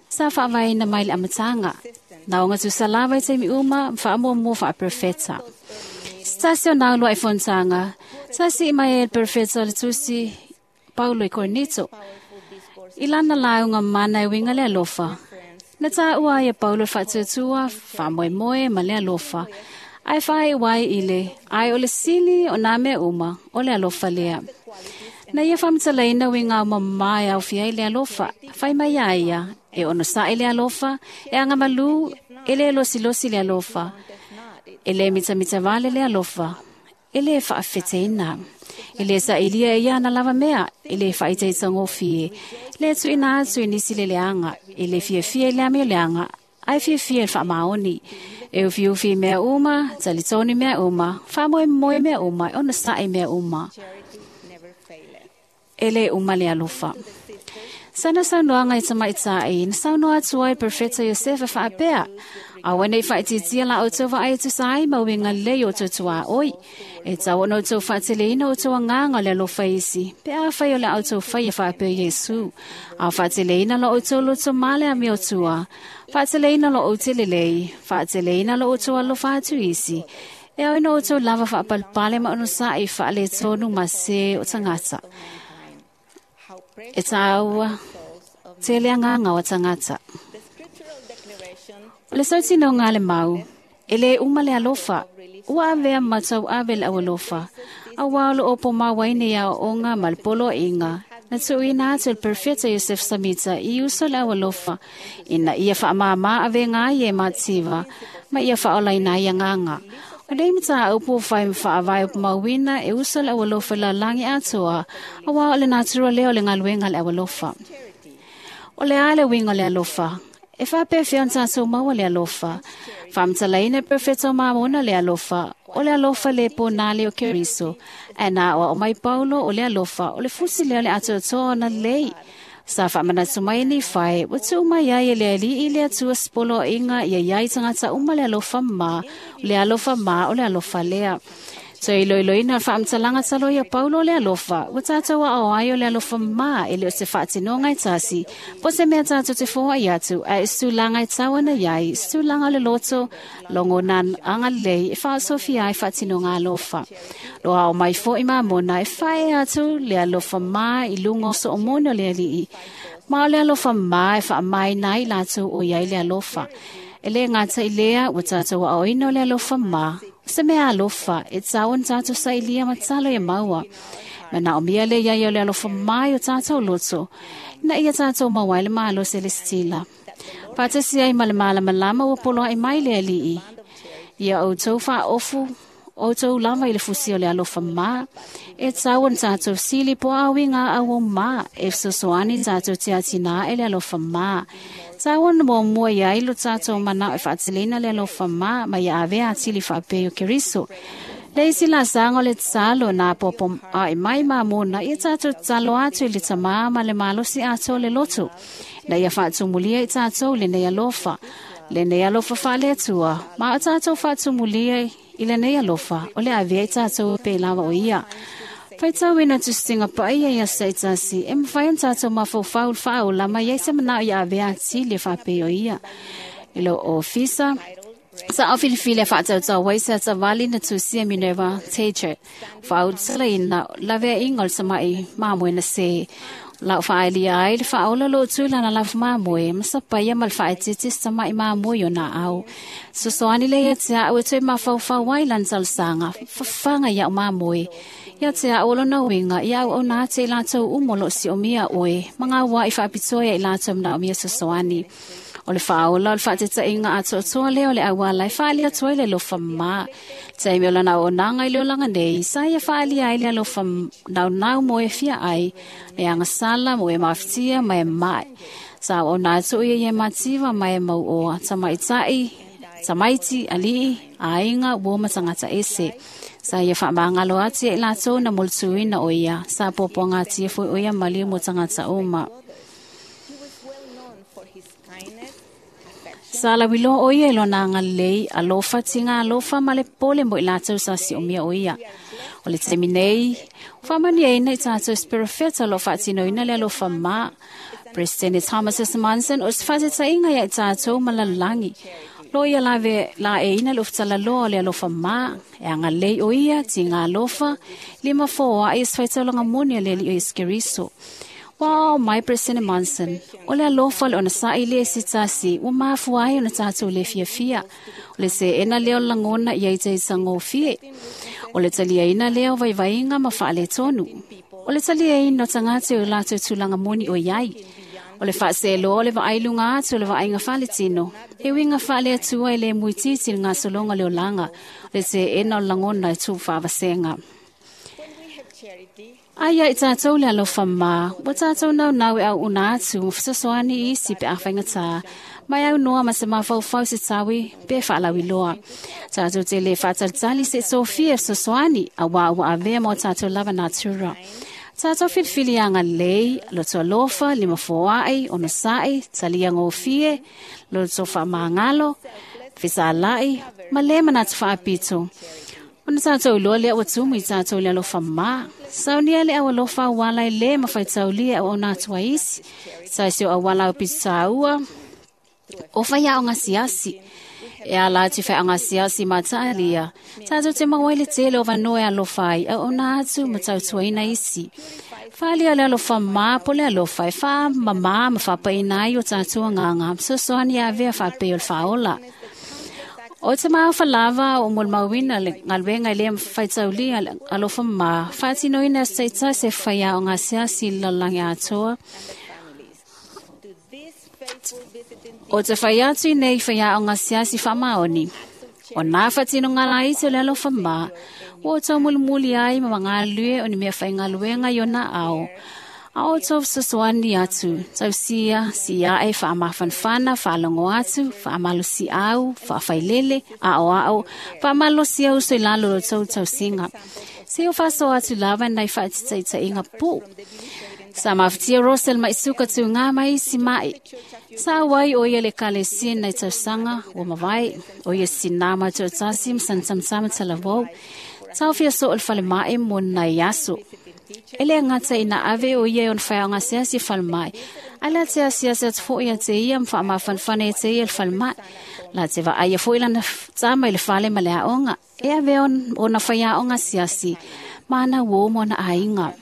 sa faavaeina mai le amataga. Na oga tusa lava i taimi uma ma faamuamua faaperofeta. Se tasi o nā uluai fonotaga, sa sii mai ai le perofeta o le tusi Paulo i Korinito. I lana lauga mana e uiga le alofa. Na taua ai e Paulo le faatuatua, faamoemoe ma le alofa. Ae faaiu ai i le, ae o le sili o nā mea uma, o le alofa lea. Na ia faamatalaina uiga aomamā e aofia ai le alofa, fai mai ia ia, e onosaʻi le alofa, e agamalū, e lē losilosi le alofa, e lē mitamitavale le alofa, e lē faafeteina. E lē sailia e ia ana lava mea, e lē faaitaitagofie, lē tuuina atu i nisi le leaga, e lē fiafia i le amioleaga, ae fiafia i le faamaoni. E ufiufi i mea uma, talitonu mea uma, faamoemoe mea uma, e onosaʻi mea uma. E lē uma le alofa. Sana saunoaga i tamaitaʻi, na saunoa atu ai Perfeta Iosefa faapea, aua nei faaitiitia la outou vaai e tusa ai ma uiga lelei o outou tuaoi. E tau ona outou faateleina outou agaga o le alofa isi, pe afai o le a outou faia faapea Iesu. A faateleina lo outou loto ma le amiotua, faateleina lo outou lelei, faateleina lo outou alofa atu isi. E ao ina outou lava faapalepale ma onosaʻi faaletonu ma se o tagata. E tāua tele agaga o tagata. O le sautinoga a le mau, e lē uma le alofa, ua avea ma tauave le aualofa. Auā o loo pomauaina i aoaoga ma le poloaiga, na tuuina atu e le Perfeta Yosef Samita i uso le aualofa, ina ia faamāmā avega ai e mativa, ma ia faaolaina ai agaga. O nei mataupu o fai ma faavae o mauina e uso le aualofa i lalagi atoa, auā o le natura lea o le galuega le aualofa. O le a le uiga o le alofa? E faapefea ona tatou maua le alofa? Faamatalaina e Perfeta o Mamona le alofa, o le alofa le pōnā le o Keriso. Ae na aoao mai Paulo o le alofa, o le fusi lea o le atoatoa ona lelei. Sa faamanatu mai nei fae, ua tuu mai ai e le Alii le Atua se poloaiga ia iai tagata uma le alofa ma, o le alofa ma o le alofa lea. Toe iloiloina o le faamatalaga talo ia Paulo o le alofa, ua tatou aao ai o le alofa ma e le o se faatinoga e tasi, po o se mea tatou te foai atu, ae o se tulaga e tau ana iai, se tulaga o le loto, logona agalelei e faaosofia ai faatinoga alofa. Lo ao mai foʻi Mamona e fae atu le alofa ma i luga o soomone o le Alii. Ma o le alofa ma e faamaina ai latou o iai le alofa. E lē gata i lea ua tatou aoaoina o le alofa ma, o se mea alofa e tau ona tatou sailia ma talo ia maua. Manaomia le iai o le alofa mai o tatou loto, ina ia tatou maua ai le malosi e le setila. Faatasi ai ma le malamalama ua poloaʻi mai le Alii. Ia outou faaofu outou lava i le fusi o le alofa ma, e tau ona tatou sili po o auiga auau ma, e fesoasoani tatou te atinā e le alofa ma. Tau ona muamua iai lo tatou manao e faateleina le alofa ma, ma ia avea atili faapea o Keriso. Le isi laasaga o le tatalo na apoapo ae mai Mamona, ia tatou tatalo atu i le Tamā ma le malosi atoa o le loto, na ia faatumulia i tatou lenei alofa, lenei alofa faale-Atua, ma o tatou faatumulia i lenei alofa, o le avea i tatou pe lava o ia. Faitauina tusitiga paia i aso taitasi, e mafai ona tatou mafaufau i le faaola ma iai se manao ia avea atili e faapea o ia. I lou ofisa, sa au filifili a faatautau ai se atavali na tusia Minerva Teacher. Faautalaina laveaiga o le samaʻi mamoe na se. Lau faaelia ai le faaola loo tu lana lafu mamoe, ma sapaia ma le faaetete se tamaʻi mamoe o na au. Sosoani le ia te au e toe mafaufau ai lana talosaga, fafaga ia'u mamoe. Ia te a o lona uiga, ia auauna atu i latou uma o lo o siomia oe, ma gauā i faapitoa ia i latou manaomia fesoasoani. O le faaola o le faatetaiga atoatoa lea o le auala e faaalia atu ai le alofa mamā. Taimi o lana auaunaga i le olaga nei, sa ia faaalia ai le alofa naunau mo e fia ai, le agasala mo e mafatia ma e ma'i. Sa auauna atu ia i e mativa ma e mauoa, tamaitai, tamaiti, alii, aiga, uo ma tagata ese. Sa ia faamagalo atu ia i latou na molituina o ia, sa puapuagatia foi o ia maliu mo tagata uma. Sa lauiloa o ia i lona agalelei, alofa tiga alofa ma le pole mo i latou sa siomia o ia. O le taimi nei, ua faamanuiaina i tatou se perofeta o lo o faatinoina le alofa ma. President Thomas S. Monson o se faatetaiga ia i tatou ma lalolagi. Lo ia lave laeina le ufutalaloa o le alofa ma, e agalelei o ia, tiga alofa, lima foaai e se faitaulaga moni a le Alii o Iesu Keriso. Ua ao mai President Monson, o le alofa le ona sa'i le se tasi, ua mafua ai ona tatou le fiafia. O le seena lea o le lagona ia i taitagofie. O le taliaina lea o vaivaiga ma faaletonu. O le taliaina o tagata i o latou tulaga moni o iai. O le faaseloa o le vaailuga atu o le vaaiga faaletino. E uiga faaleatua e le muititi le gasologa o le olaga. O le seena o le lagona e tuufaavasega. Ai ia i tatou le alofa ma, ua tatou naunau e auuna atu ma fesoasoani i isi pe a faigata, mai aunoa ma se mafaufau se taui pe faalauiloa. Tatou te le faatalitali se sofia e fesoasoani, auā ua avea ma o tatou lava natura. Tatou filifili agalelei, loto alofa, lima foai, onosai, talia gofie, loto faamagalo, fesalai, ma le manatu faapito. Ona tatou iloa lea ua tumu i tatou le alofa ma. Saunia le au alofa auala e le mafaitaulia e auauna atu ai isi. Sa se o auala au pitaua, o faiaoga siasi. E ala atu i faiaoga siasi ma taalia. Tatou te maua ai le tele o vanoa e alofa ai, auauna atu ma tautuaina isi. Faalia le alofa ma po le alofa e faamamā ma faapaina ai o tatou agaga, fesoasoani e avea faapei o le faaola. O te maofa lava o molimauina le galuega i le faitaulia le alofa ma, faatinoina se taitasi e faiaoga asiasi i le lalolagi atoa. O te fai atu i nei faiaoga asiasi faamaoni. O nā faatinoga laiti o le alofa ma, ua o taumulimuli ai ma magalue o ni mea faigaluega i ona ao. A o tau fesoasoani atu, tausia, siae, faamafanafana, faalogo atu, faamalosiau, faafailele, aoao, faamalosia uso i lalo o tou tausiga. Se o faasoa atu lava nai faatitaitaiga pu. Sa mafatia Russell Maisuka tū ngā mai isi mai. Sa auai o ia le ekalesia nai tausaga ua mavae, o ia sinā ma toatasi ma sanatamata talavou. Taofia soo le falema'i mo nai aso. E le gata ina ave o ia e ona faiaoga asiasi e falema'i. Ae la te asiasi atu foi ia te ia ma faamafanafana ia te ia le falema'i. La te vaaia foi lana tama i le fale ma le aoga. E ave ona faiaoga asiasi ma ana uō ma ona aiga.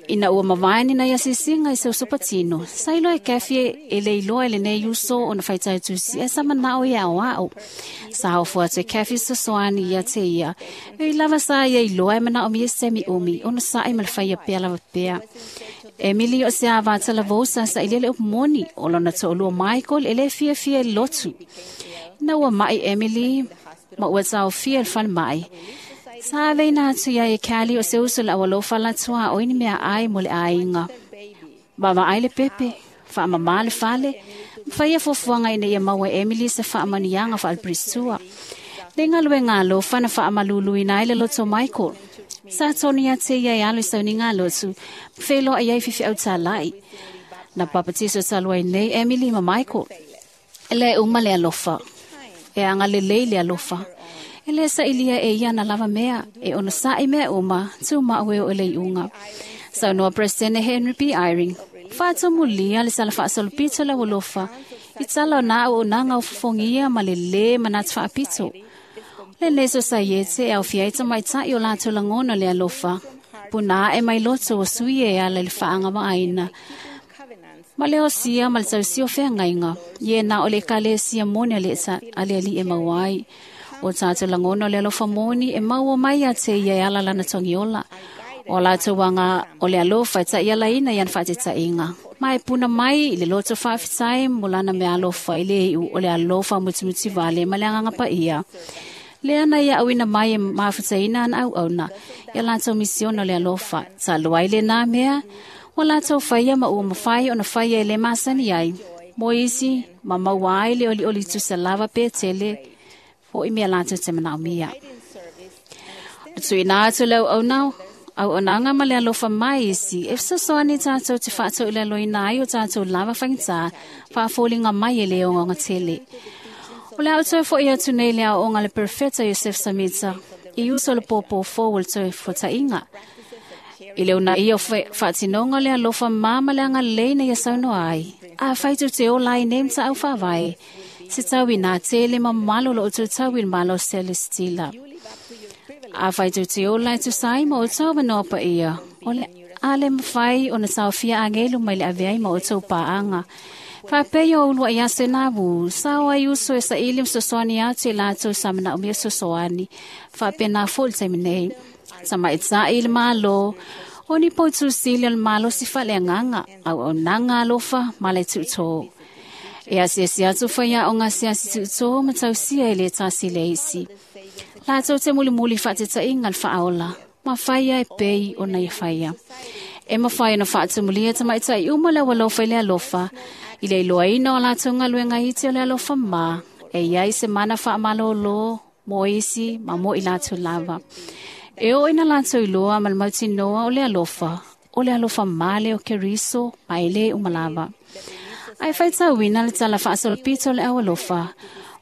Ina ua mavae ni nai asiasiga i se usopatino, sa iloa e Kathy e le iloa i lenei uso ona faitautusi e sa manao e aoao. Sa ofo atu e Kathy fesoasoani ia te ia. E ui lava sa ia iloa e manaomia se taimi umi ona sa'i ma le faia pea lava pea. Emily o se ava talavou sa sa'ilia le upu moni o lona to'alua Michael e le fiafia i le lotu. Ina ua ma'i Emily ma ua taofia i le falema'i. Sa aveina atu ia e Kali o se uso le aualofa latua o ini mea ai mo le aiga. Vaavaai le pepe, faamamā le fale, ma faia fuafuaga ina ia maua e Emily se faamanuiaga faaleperistua. Le galuega alofa na faamaluluina ai le loto Michael. Sa tonu ia te ia e alo i sauniga a lotu, ma feiloai ai fifeau tāla'i. Na papatiso talu ai nei Emily ma Michael. E le uma le alofa. E agalelei le alofa. E le sa'ilia e ia na lava mea, e ona sa'i mea uma, tumau e oo i le iuga. Saunoa President Henry B. Eyring, faatumulia le sala faasolopito le aualofa, i tala o na auaunaga o fofogia ma le lē manatu faapito. Lenei sosaiete e aofia ai tamaita'i o latou lagona le alofa, puna ae mai loto o sui e ala i le faagavaaina. Ma le osia ma le tausia o feagaiga, ia na o le ekalesia moni a le Alii e maua ai. O tātou langona o le alofa moni e maua mai a te ia e ala lana togiola. O latou anga o le alofa e ta'ialaina i ana fa'ateta'iga ma e puna mai i le loto fa'afetai mo lana mea alofa i le iʻu o le alofa mutimuti vale ma le agaga paia. Lea na ia auina mai e mafutaina ana auauna ia latou misiona o le alofa. Talu ai lenā mea ua latou faia ma ua mafai ona faia e lē masani ai. Mo isi ma maua ai le olioli tusa lava pe tele fo'i mea latou te manaomia. O tuuina atu le auauna auaunaga ma le alofa mai isi e fesoasoani tatou te faatauilaloina ai o tatou lava faigata faafoliga mai e lē ogaogatele. O le a ou toe fo'i atu nei le aoaoga a le Perofeta Iosefo Samita i uso o le pōpō fou o le toe fuata'iga. I le unaia o faatinoga o le alofa ma ma le agalelei na ia saunoa ai. Afai tou te ola ai nei mata'au faavae, se tau inā tele ma mamalo o loo outou tau i le malo selestila. Afai tou te ola e tusa ai ma outou avanoa paia, o le a le mafai ona taofia agelu mai le ave ai ma outou paaga. Faapea o ulua'i aso e navu, sao ai uso e saili ma sosoani atu i latou sa manaomia sosoani. Faapenā fo'i le taimi nei. Tamaʻitaʻi i le Mālō, o ni poutusili o le malosi faaleagaga, auaunaga alofa ma le tuutō. E asiasi atu faiaoga asiasi tuutō ma tausia e lē tasi le isi. Latou te mulimuli faatetaʻiga le faaola, ma faia e pei ona ia faia. E mafai ona faatumulia tamaʻitaʻi uma le aualofa i le alofa, i le iloaina o latou galuega iti o le alofa ma, e iai se mana faamalōlō mo isi ma mo i latou lava. E oo ina latou iloa ma le mautinoa o le alofa, o le alofa male o Keriso ma e lē uma lava. Ae faitauina le tala faasolopito o le aualofa,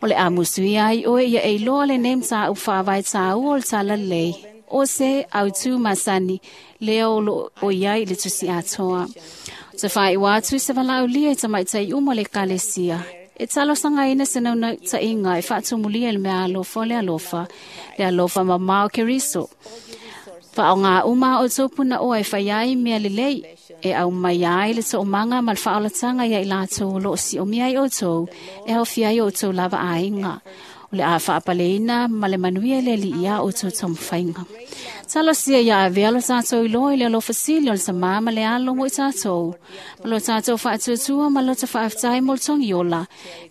o le a musuia ai oe ia e iloa lenei mataupu faavae tāua o le tala lelei, o se autū masani lea o loo o iai i le tusi atoa. O te faaiʻua atu se valaaulia i tamaʻitaʻi uma o le ekalesia. E talosagaina se naunautaʻiga e faatumulia i le mea alofa o le alofa, le alofa mamao Keriso. Faaogā uma a outou punaoa e faia ai mea lelei, e aumaia ai le toomaga ma le faaolataga ia i latou o loo siomia ai outou, e aofia ai outou lava aiga. O le a faapaleina ma le manuia i le alii a outou taumafaiga. Talosia ia avea lo tatou iloa i le alofa sili o le tamā ma le alo mo i tatou. Ma lo tatou faatuatua ma lo ta faafetai mo le togiola.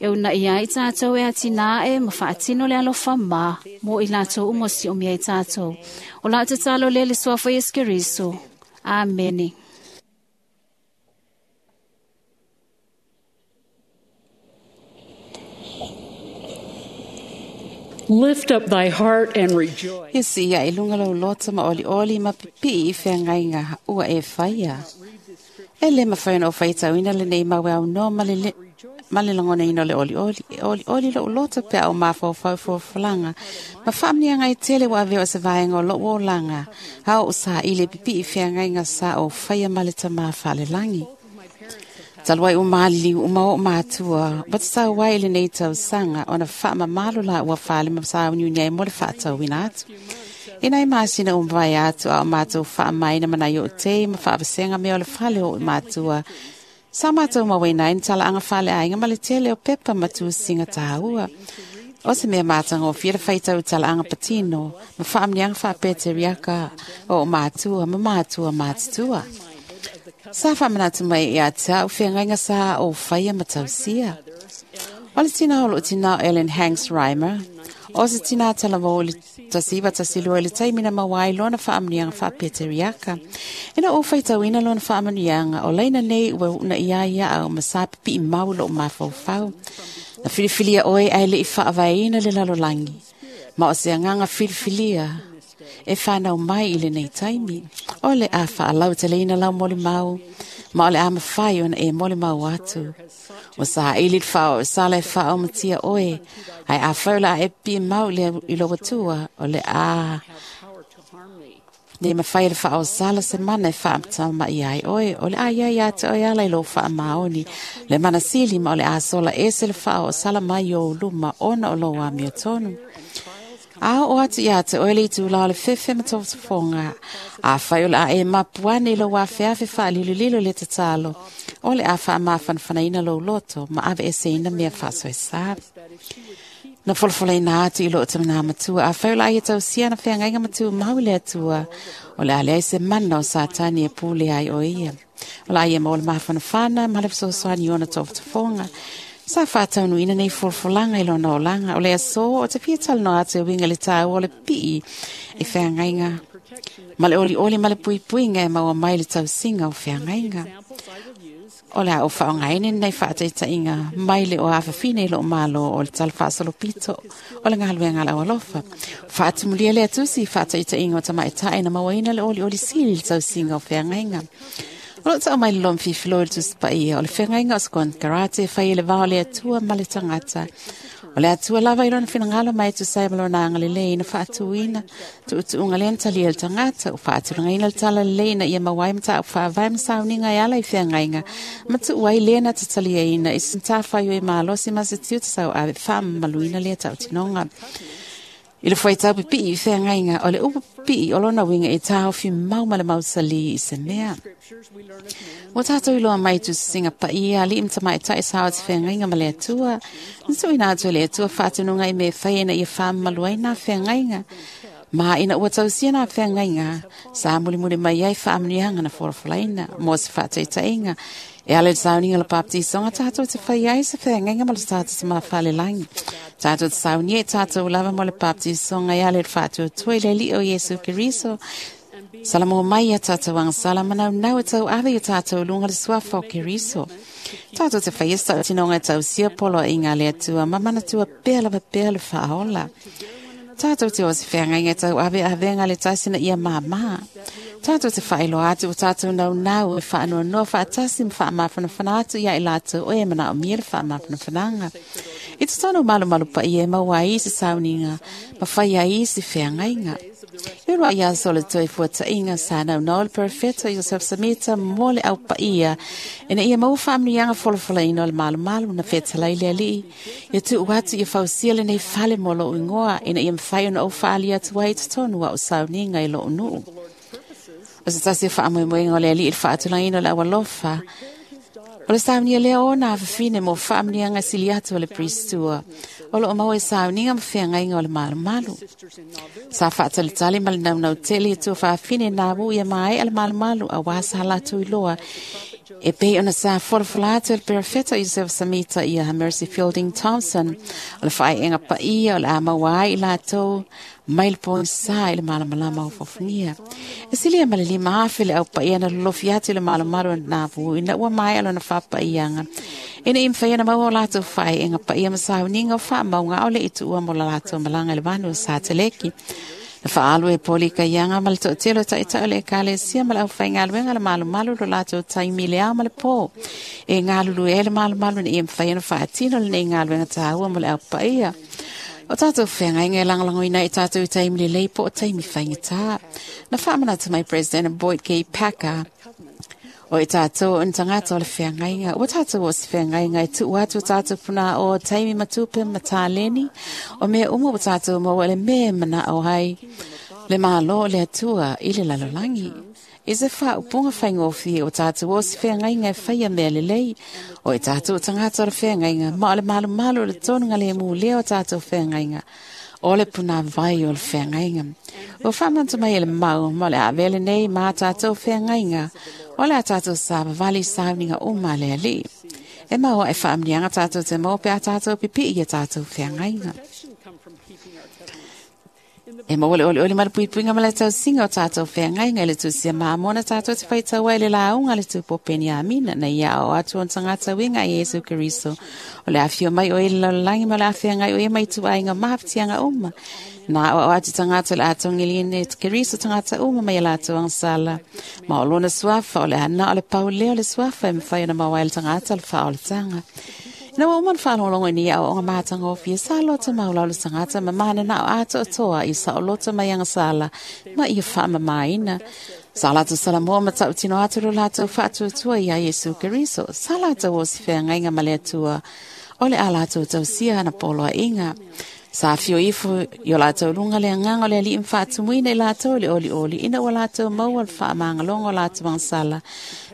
E unaia ai tatou e atinae ma faatino le alofa ma mo i latou uma o siomia ai tatou. O lau tatalo lea i le suafa o Iesu Keriso. Amene. Lift up thy heart and rejoice. Ia si ia i lunga lau loto ma oli oli ma pipi i whiangainga ua e whaia. E le mawhai o whaitauina le nei mawe au no ma le ma le langona ino le oli oli. E oli oli lo loto pe au mawhau whau whau Ma whaamnia ngai tele wa aveo se vaenga o lo o langa. Hao o sa i le pipi i whiangainga sa o whaia ma le tama whale langi. Taluai o malili o mao mātua, wa te tau wai le nei tau sanga ona wha mamalo la ua whale ma sa unu nei mo le whaatau wina atu. Ina i maasina o mawai atu a o mātou wha maina mana i o te ma whaawasenga me o le whale o mātua. Sa mātou mawena in tala anga whale ainga ma le tele o pepa matu singa tāua. O se mea mātanga o whira whaitau tala anga patino, ma whaamnianga whaapete riaka o mātua ma mātua mātutua. Sa whamanatu mai i a tau whengainga sa o whaia matausia. O le tina o lo tina Ellen Hanks Reimer, o se tina tala o le tasiva tasilua i le taimina mawai lona whaamnianga whaapete riaka. Ina o whaitauina lona whaamnianga o leina nei ua una ia ia au masapi pi mau lo mawhauwhau. Na filifilia oe ai le i whaavaina le lalolangi. Ma o se anganga filifilia e whanau mai i le nei taimi. O le a whaalau te leina lau mole mau, ma o le a mawhai ona e mole mau atu. O sa ili whao, o sala e whao matia oe, ai a whaula a e pi mau le i lo watua, o le a ne mawhai le whao sala se mana e whaamta mai ai oe, o le a ia ia te oe ala i lo wha maoni, le mana sili ma o le a sola e se le whao o sala mai o luma ona o lo amio tonu. A o atu ia te oele i tūla o le fefe ma tōfofonga. A whai o le a e mapuane i lo wawheawe wha lilo lilo le tatalo. O le a wha mawhanwhanaina lo loto ma ave e se ina mea whaso e sa. Na folafolaina atu i loo tamana matua a faula ai e tausia na feagaiga ma tumau i le Atua. O le a leai se mana o Satani e pule ai o ia. O la ia maua le mafanafana ma le fesoasoani i ona tofotofoga. Sa faataunuina nei folafolaga i lona olaga. O le aso o te fia talanoa atu e uiga i le tāua o le pii i feagaiga ma le olioli ma le puipuiga e maua mai le tausiga o feagaiga. O le a o faaaogaina lenei faataitaiga mai le o afafine i loo malo o le tala faasolopito o le galuega a le aualofa. Faatumulia lea tusi i faataitaiga o tamaitae na mauaina le olioli sili i le tausiga o feagaiga. O loo tau mai le lomi fifilo i le Tusi Paia o le feagaiga o se konekarate e fai e le va o le Atua ma le tagata. O le Atua lava i lona finagalo mai e tusa ai ma lona agalelei na faatuina tuutuuga lea na talia e le tagata ua faatulagaina le tala lelei ina ia maua ai mataupu faavae ma sauniga e ala i feagaiga ma tuu ai lea na tataliaina i se matafaioi malosi ma se tiute sauave faamamaluina lea tautinoga. I le fuaitau pipii i feagaiga o le upu pipii o lona uiga e taofi mau ma le mausali i se mea. Ua tātou iloa mai tusisiga paia alii ma tamaitai sa o te feagaiga ma le Atua. Na tuuina atu e le Atua faatonuga i mea e fai ina ia faamamalu ai nā feagaiga. Ma ina ua tausia nā feagaiga, sa mulimuli mai ai faamanuiaga na folafolaina mo se faataitaiga. E ala i le sauniga o le baptisoga tātou te fai ai se feagaiga ma le tātou Tama Falelagi. Tātou te saunia i tātou lava mo le baptisoga e ala i le faatuatua i le Alii o Iesu Keriso. Salamo mai ia tātou agasala manaunau e tauave i o tātou luga le suafa o Keriso. Tātou te whai esta o tinonga e tausia polo i ngā le Atua ma manatua pea lava pea le whaola. Tātou te o se wheangaiga e tauave avenga le tasina ia māmā. Tātou te whaeloa atu o tātou naunau e whaanoanoa whaatasi ma whaamafanafana atu ia i lātou o e mana o mia le whaamafanafanaga. I te tonu malumalu pa ia e maua ai se sauniga ma whai ai se wheangaiga. I roa ia aso le toi fuata'iga sa naunau le perofeta Iosef Samita mo le au paia ina ia maua faamanuiaga folafolaina o le malumalu na fetalai le Alii. Ia tu'u atu ia fausia lenei fale mo lo'u igoa ina ia mafai ona ou faalia atu ai i totonu a'u sauniga i lo'u nu'u. O se tasi o faamoemoega o le Alii i le faatulagaina o le aualofa o le saunia lea o ona afafine mo faamanuiaga sili atu o le Pristua o loo maua i sauniga ma feagaiga o le malumalu. Sa faatalitali ma le naunau tele i tua faafine nā wu ia mae'a le malumalu auā sa latou iloa e pei ona sa folafola atu e le perofeta Iosef Samita ia Mercy Fielding Thompson o le faaeega paia o le a maua ai i latou mai le pogisa i le malamalama o fofogia. E silia ma le lima afe le au paia na lolofi atu i le malumalu na vu ina ua mae'a lona faapaiaga. Ina i mawhai ana maua o latou faaeega paia ma sauniga o faamauga o le i tuua mo la latou malaga i le vanu o Sateleki. Na faalu e poli kaiaga ma le toatele o ta'ita'i o le Ekalesia ma le aufaigaluega le malumalu lo latou taimi i le ao ma le pō. E galulue ai le malumalu ina ia mafai ona faatino lenei galuega tāua mo le au paia. O tātou feagaiga e lagolagoina ai tātou i taimi lelei po o taimi faigata. Na faamanatu mai President Boyd K. Packer o i tātou o ni tagata o le feagaiga. Ua tātou o se feagaiga e tuu atu o tātou puna o taimi ma tupe ma tāleni. O mea uma o tātou maua le mea mana'o ai le Malo o le Atua i le lalolagi. I se faaupuga faigofie o tātou o se feagaiga e faia mea lelei. O i tātou o tagata o le feagaiga ma o le malumalu o le tonuga le mulea o tātou feagaiga. O le puna vai o le feagaiga. Ua faamanatu mai e le mau ma o le a avea lenei ma tātou feagaiga. O le a tātou savavali sauniga uma a le Alii. E maua e faamanuiaga tātou te maua pe a tātou pipii i a tātou feagaiga. E maua le olioli ma le puipuiga ma le tausiga o tātou feagaiga i le tusia mamoa na tātou te faitau ai le lauga a le Tupu o Peniamina na ia ao atu o tagata uiga i Iesu Keriso. O le afio mai o i le lalolagi ma o le afeagai o ia mai tuaiga mahafitiaga uma. Na ao atu tagata o le atogiline e Keriso tagata uma mai a latou agasala. Ma o lona suafa o le ana o le pau lea o le suafa e mafai ona maua ai le tagata o le faaolataga. Ina ua uma ona faalogologo i nei aoaoga matagofie sa loto maulau le tagata ma mananao atoatoa i saoloto mai agasala ma ia faamamaina. Sa latou salamoa ma tautino atu lo latou faatuatua iā Iesu Keriso. Sa latou o se feagaiga ma le Atua o le a latou tausia ana poloaiga. Sa afio ifo i o latou luga le agaga o le Alii ma faatumuina i latou i le olioli ina ua latou maua le faamagaloga o latou agasala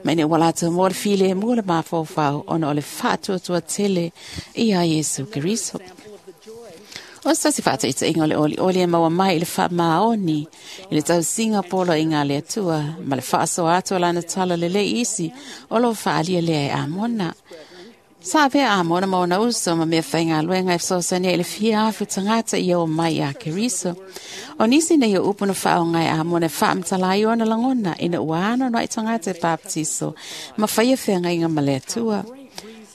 ma ina ua latou maua le filemu o le mafaufau ona o le faatuatua tele iā Iesu Keriso. O se tasi faataitaiga o le olioli e maua mai i le faamaoni i le tausiga poloaiga a le Atua ma le faasoa atu o lana tala lelei isi o loo faaalia lea e Amona. Sa avea Amona ma ona uso ma mea faigaluega e fesoasoani ai i le fia afe o tagata ia o mai ia Keriso. O nisi nei o upu na faaoga e Amona e faamatala ai ona lagona ina ua anoanoai tagata e papatiso ma faia feagaiga ma le Atua.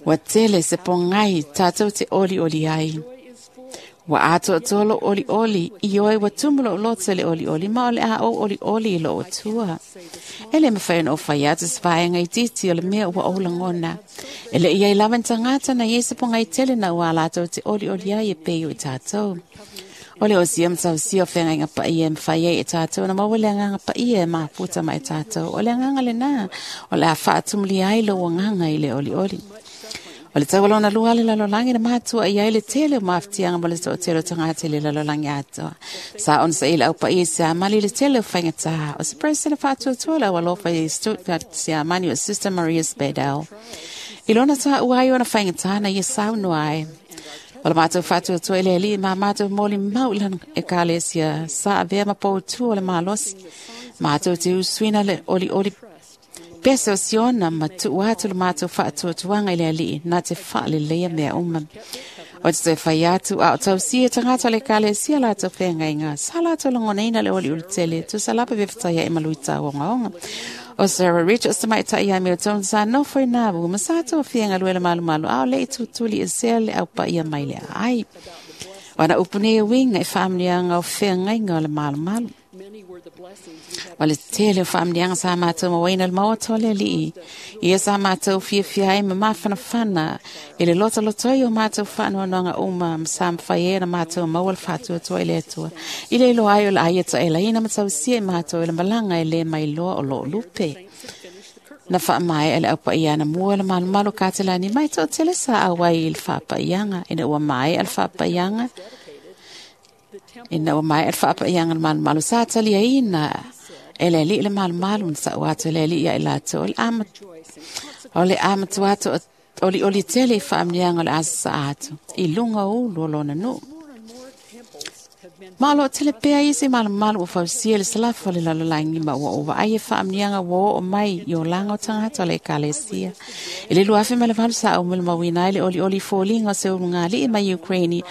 Ua tele se pogai tatou te olioli ai. Ua atoatoa lou olioli, ioe ua tumu lou loto i le olioli, ma o le a ou olioli i lou Atua. E le mafai ona ou fai atu se vaega itiiti o le mea ua ou lagona. E le i ai lava ni tagata na i ai se pogai tele na ua latou te olioli ai e pei o i tatou. O le osia ma tausia o feagaiga paia e mafai ai e tatou ona maua le agaga paia e mafuta mai tatou. O le agaga lena, o le a faatumulia ai lou agaga i le olioli. O le taualona lua le lalolagi na matua i ai le tele o mafatiaga ma le toatele o tagata i le lalolagi atoa. Sa ona saili le aupaia i Siamani i le tele o faigata. O se president faatuatua le aualofa i Stuttgart Siamani o Sister Maria Spadel. I lona taua ai ona faigata na ia saunoa ai. O le matou faatuatua i le Alii ma matou molimau i lana ekalesia sa avea ma poutu o le malosi. Matou te usuina le olioli pese o Siona ma tuu atu le matou faatuatuaga i le Alii na te faaleleia mea uma. O te toe fai atu a o tausia e tagata o le ekalesia latou feagaiga sa latou lagonaina le olioli tele tusa lava pe fetaia e maluitau ogaoga. O Sarah Richards tamaitai ia mea tonu sa nofo i Navu ma sa tou fiagalue le malumalu a o le i tutuli e sea le aupaia mai le aai. O ana upu nei e uiga i faamanuiaga o feagaiga o le malumalu. O le tele o faamanuiaga sa matou mauaina le maota o le Alii. Ia sa matou fiafia ai ma mafanafana i le lotolotoi o matou faanoanoaga uma ma sa mafai ai ona matou maua le faatuatua i le Atua. I le iloa ai o le a ia taelaina ma tausia i matou i le malaga e le mailoa o loo lupe. Na faamaea le aupaia anamua le malumalu katelani mai toatele sa auai i le faapaiaga ina ua maea le faapaiaga ina ua maea le faapaiaga le malumalu sa taliaina e le Alii le malumalu na sa'u atu e le Alii ia i latou o le ama o le amatua atu olioli tele i faamanuiaga o le asasaa atu i luga o ulu o lona nuu. Ma o loo tele pea isi malumalu ua fausia i le salafa o le lalolagi ma ua ou vaai e faamanuiaga ua oo mai i olaga o tagata o le ekalesia. I le lua afe ma le valu sa ou molimauina ai le olioli i foliga o se ulugalii mai Ukraine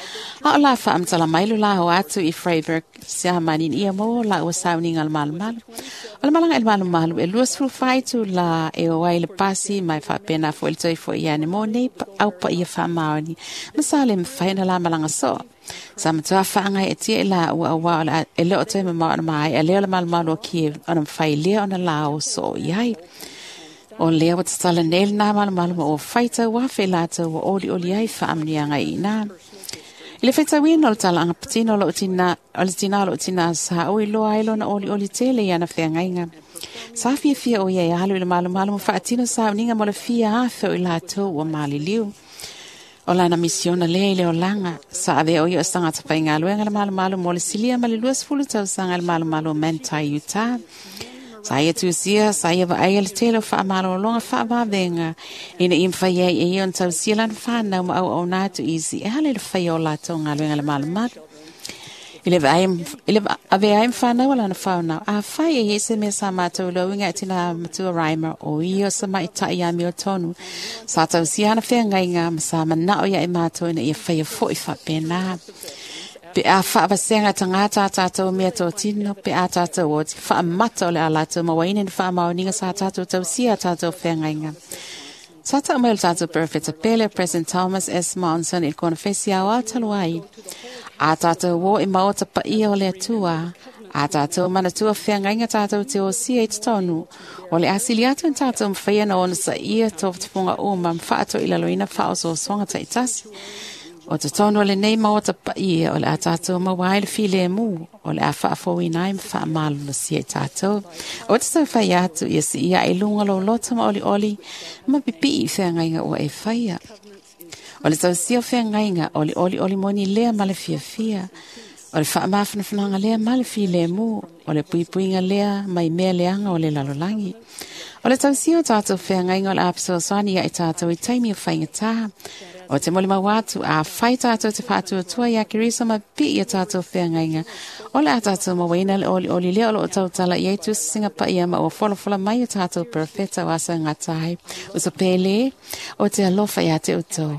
a o la faamatala mai lo la o atu i Freiburg Siamani ina ia maua laua sauniga o le malumalu. O le malaga i le malumalu e luasefulu fa itulā e o ai le pasi ma e faapena foi le toe fo'i ane mo nei aupaia faamaoni ma sa le mafai ona la malaga soo. Sa matua faagaeetia i laua auā o le e le o toe mamao ona maea lea o le malumalu o Kiev ona mafai lea ona lao soo i ai. O lea ua tatala nei lenā malumalu ma ua faitau afe i latou ua olioli ai faamanuiaga i ina. I le faitauina o le talaaga patino o lou tina, o le tina o lou tina sa ou iloa ai lona olioli tele i ana feagaiga. Sa fiafia o ia e alu i le malumalu ma faatino sauniga mo le fia afe o i latou ua maliliu. O lana misiona lea i le olaga, sa avea o ia o se tagata faigaluega le malumalu mo le silia ma le luasefulu tausaga i le malumalu o Manti, Utah. Sa ia tusia, sa ia vaaia le tele o faamalologa faavavega ina ia mafai ai e ia ona tausia lana fanau ma auauna atu i isi e ala i le faia o latou galuega le malumalu. I le vaai i le avea ai ma fanau a lana fanau, afai e i ai se mea sa matou iloaina e tina matua Reimer o ia o se maita'i amiotonu, sa tausia ana feagaiga ma sa mana'o ia i matou ina ia faia fo'i faapena. Pe a faavasega tagata a tatou mea totino, pe a tatou oti faamata o le a latou mauaina ni faamaoniga sa tatou tausia a tatou feagaiga. Sa ta'u mai o le tatou perofeta pele President Thomas S. Monson i le konofesi aoao talu ai. A tatou o i maota paia o le Atua, a tatou manatua feagaiga tatou te osia i totonu, o le asili atu ni tatou mafai ona onosaia tofotofoga uma ma faatoilaloina faaosoosoga taitasi. O totonu o lenei maota paia o le a tatou maua ai le filemu, o le a faafouina ai ma faamalolosia i tatou. O te tau fai atu ia siia i luga lou loto ma olioli ma pipii i feagaiga ua e faia. O le tausia o feagaiga o le olioli moni lea ma le fiafia. O le faamafanafanaga lea ma le filemu. O le puipuiga lea mai mea leaga o le lalolagi. O le tausia o tatou feagaiga o le a fesoasoani ia i tatou i taimi o faigata. O te moli mau atu a whai tātou te whātua ia Keriso ma pi ia tātou wheangainga. O le a tātou mawaina le oli oli lea o lo o tautala i eitu singa pa ia ma o wholofola mai o tātou perfeta o asa ngā tahi. O so pēle o te alofa ia te utou.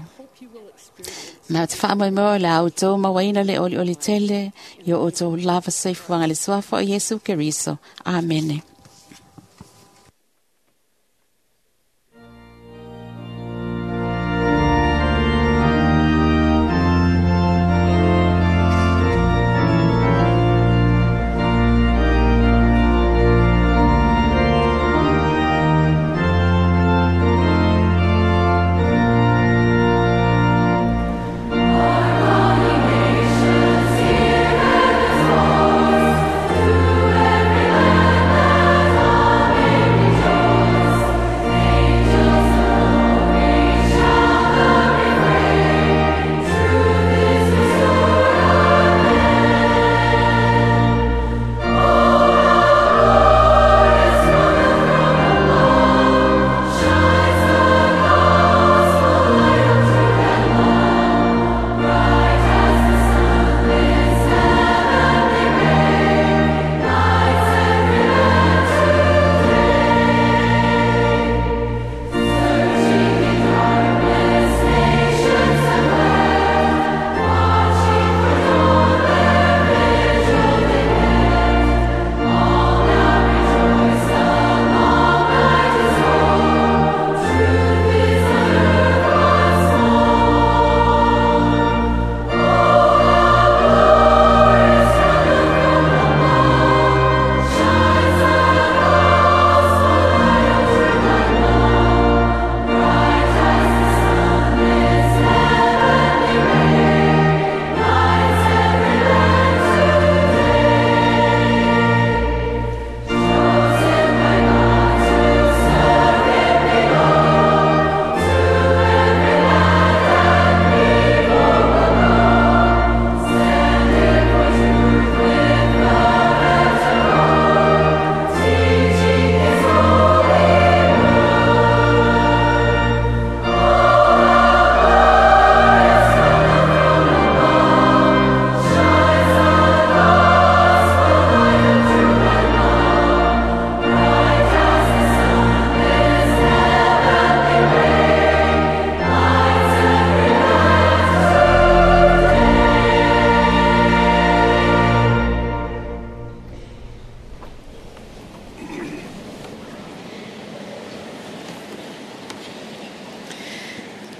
Ma te whaamoi mo le au tō mawaina le oli oli tele i o tō lava seifuanga le suafa o Yesu Keriso. Amene.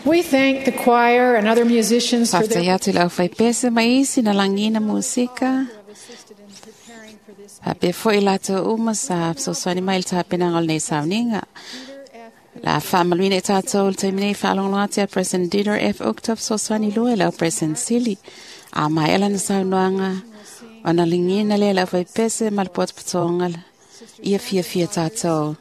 We thank the choir and other musicians for their Whaftai atu lau whaipese mai isi na langina musika. Hape foi lātou uma sa soswani mai le tāpenanga o lenei sauninga. La whaamaluina i tātou le taimi nei whaalongolonga atu a President Dieter F. Uchtdorf soswani lua lau President Sili. A mai ela na saunoanga o na lingina lea lau whaipese ma le potopotoga ia fia fia tātou.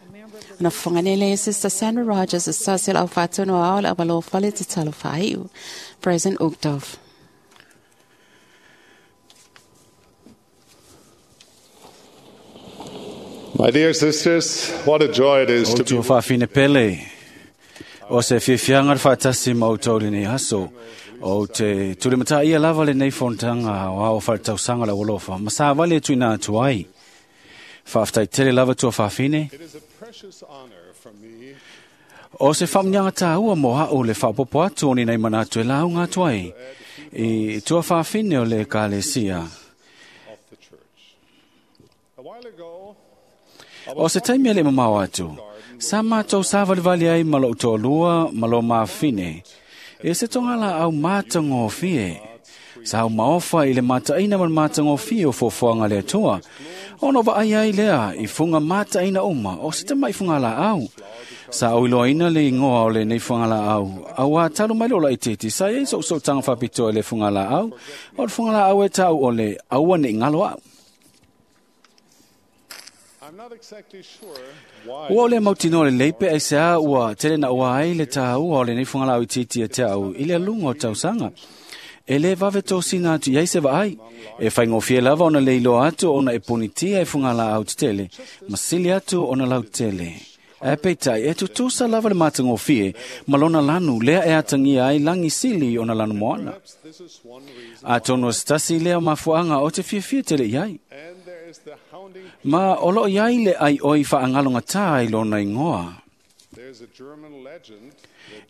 Na whanganele e Sister Sandra Rogers, Associate au whātono ao le awalo whale te talo whaiu. President Uchtdorf. My dear sisters, what a joy it is O to be tua whaafine pele. O se fiafianga le whaatasi ma o tauri nei aso. O te tulimata ia lava le nei fontanga o ao whaletausanga la walofa. Masa wale tuina atu ai. Whaaftai tele lava tua whaafine. It is a precious honor for me O se whamnyanga tāua mo hao le whaapopo atu o ni nei manatu e lau ngā tuai. I tua whaafine o le kalesia. of the church. A while ago, O se taimi ele mamao atu. Sa mātou sa valivali ai ma lou toalua ma lo mafine. E se tonga la au mātangofie. Sa au maofa i le mataina ma le mātangofie o fofoanga le atua. Ono va ai ai lea i funga mataina uma o se tamai funga la au. Sa au iloaina le ingoa o le nei funga la au. Au a talu mai lola i titi sa ei so so tanga whapitoa le funga la au. O le funga la au e tau o le aua ne ngalo au. I'm not exactly sure why Ua o le mautino le leipe ai se a ua tele na ua ai le tā ua o le nei funga lau i titi e te au i le lunga o tausanga. E le vave tō sina atu iai se vaai. E whaingofie lava ona le iloa atu ona e ponitia e funga la au te tele. Masili atu ona lau tele. Ae peitai e tutusa lava le matagofie ma lona lanu lea e atagia ai lagi sili ona lanu moana. Atonu o se tasi lea o mafuaaga o te fiafia tele i ai. Ma o loo iai le aioi faagalogatā i lona igoa.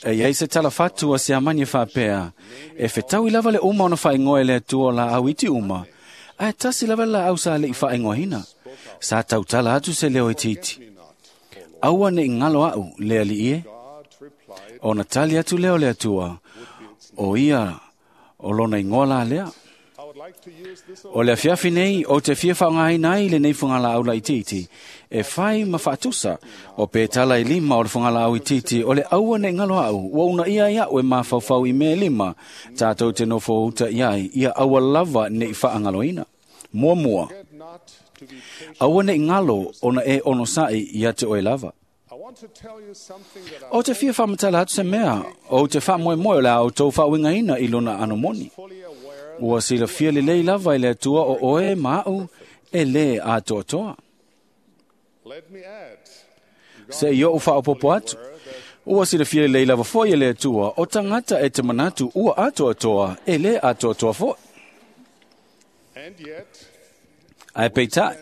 E iai se talafatu a se amani e faapea, e fetaui lava le uma ona faaigoa e le Atua o laau iti uma, ae tasi lava le laau sa le'i faaigoaina. Sa tautala atu se leo itiiti. Aua ne'i galo a'u le Alii e. Ona tali atu lea o le Atua, o ia o lona igoa la lea. O le afiafi nei o te fia faaaogaina ai lenei fugalaau laitiiti e fai ma faatusa o petala e lima o le fugalaau itiiti o le aua ne'i galo a'u ua uunaia ai a'u e mafaufau i mea e lima tatou te nofo uta i ai ia aua lava ne'i faagaloina. Muamua, aua ne'i galo ona e onosa'i ia te oe lava. O te fia faamatala atu se mea ou te faamoemoe o le a outou faauigaina i lona ano moni. Ua silafia lelei lava i le Atua o oe ma a'u e lē atoatoa. Se i o'u faaopopo atu, ua silafia lelei lava fo'i e le Atua o tagata e te manatu ua atoatoa e lē atoatoa fo'i. Ae peitai,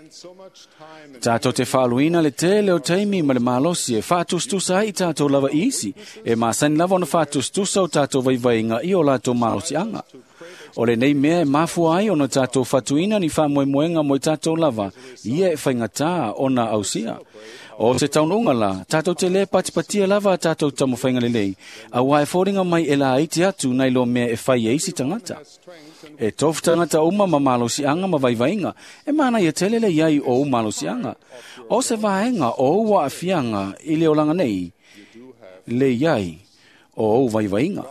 tatou te faaluina le tele o taimi ma le malosi e faatusatusa ai i tatou lava i isi, e masani lava ona faatusatusa o tatou vaivaiga i o latou malosiaga. O lenei mea e mafua ai ona tatou fatuina ni faamoemoega mo i tatou lava, ia e faigatā ona ausia. O se taunuuga la, tatou te lē patipatia lava a tatou taumafaiga lelei, auā e foliga mai e laiti atu nai lo mea e fai e isi tagata. E tofu tagata uma ma malosiaga ma vaivaiga, e manaia tele le iai o ou malosiaga. O se vaega o ou aafiaga i le olaga nei, le iai o ou vaivaiga.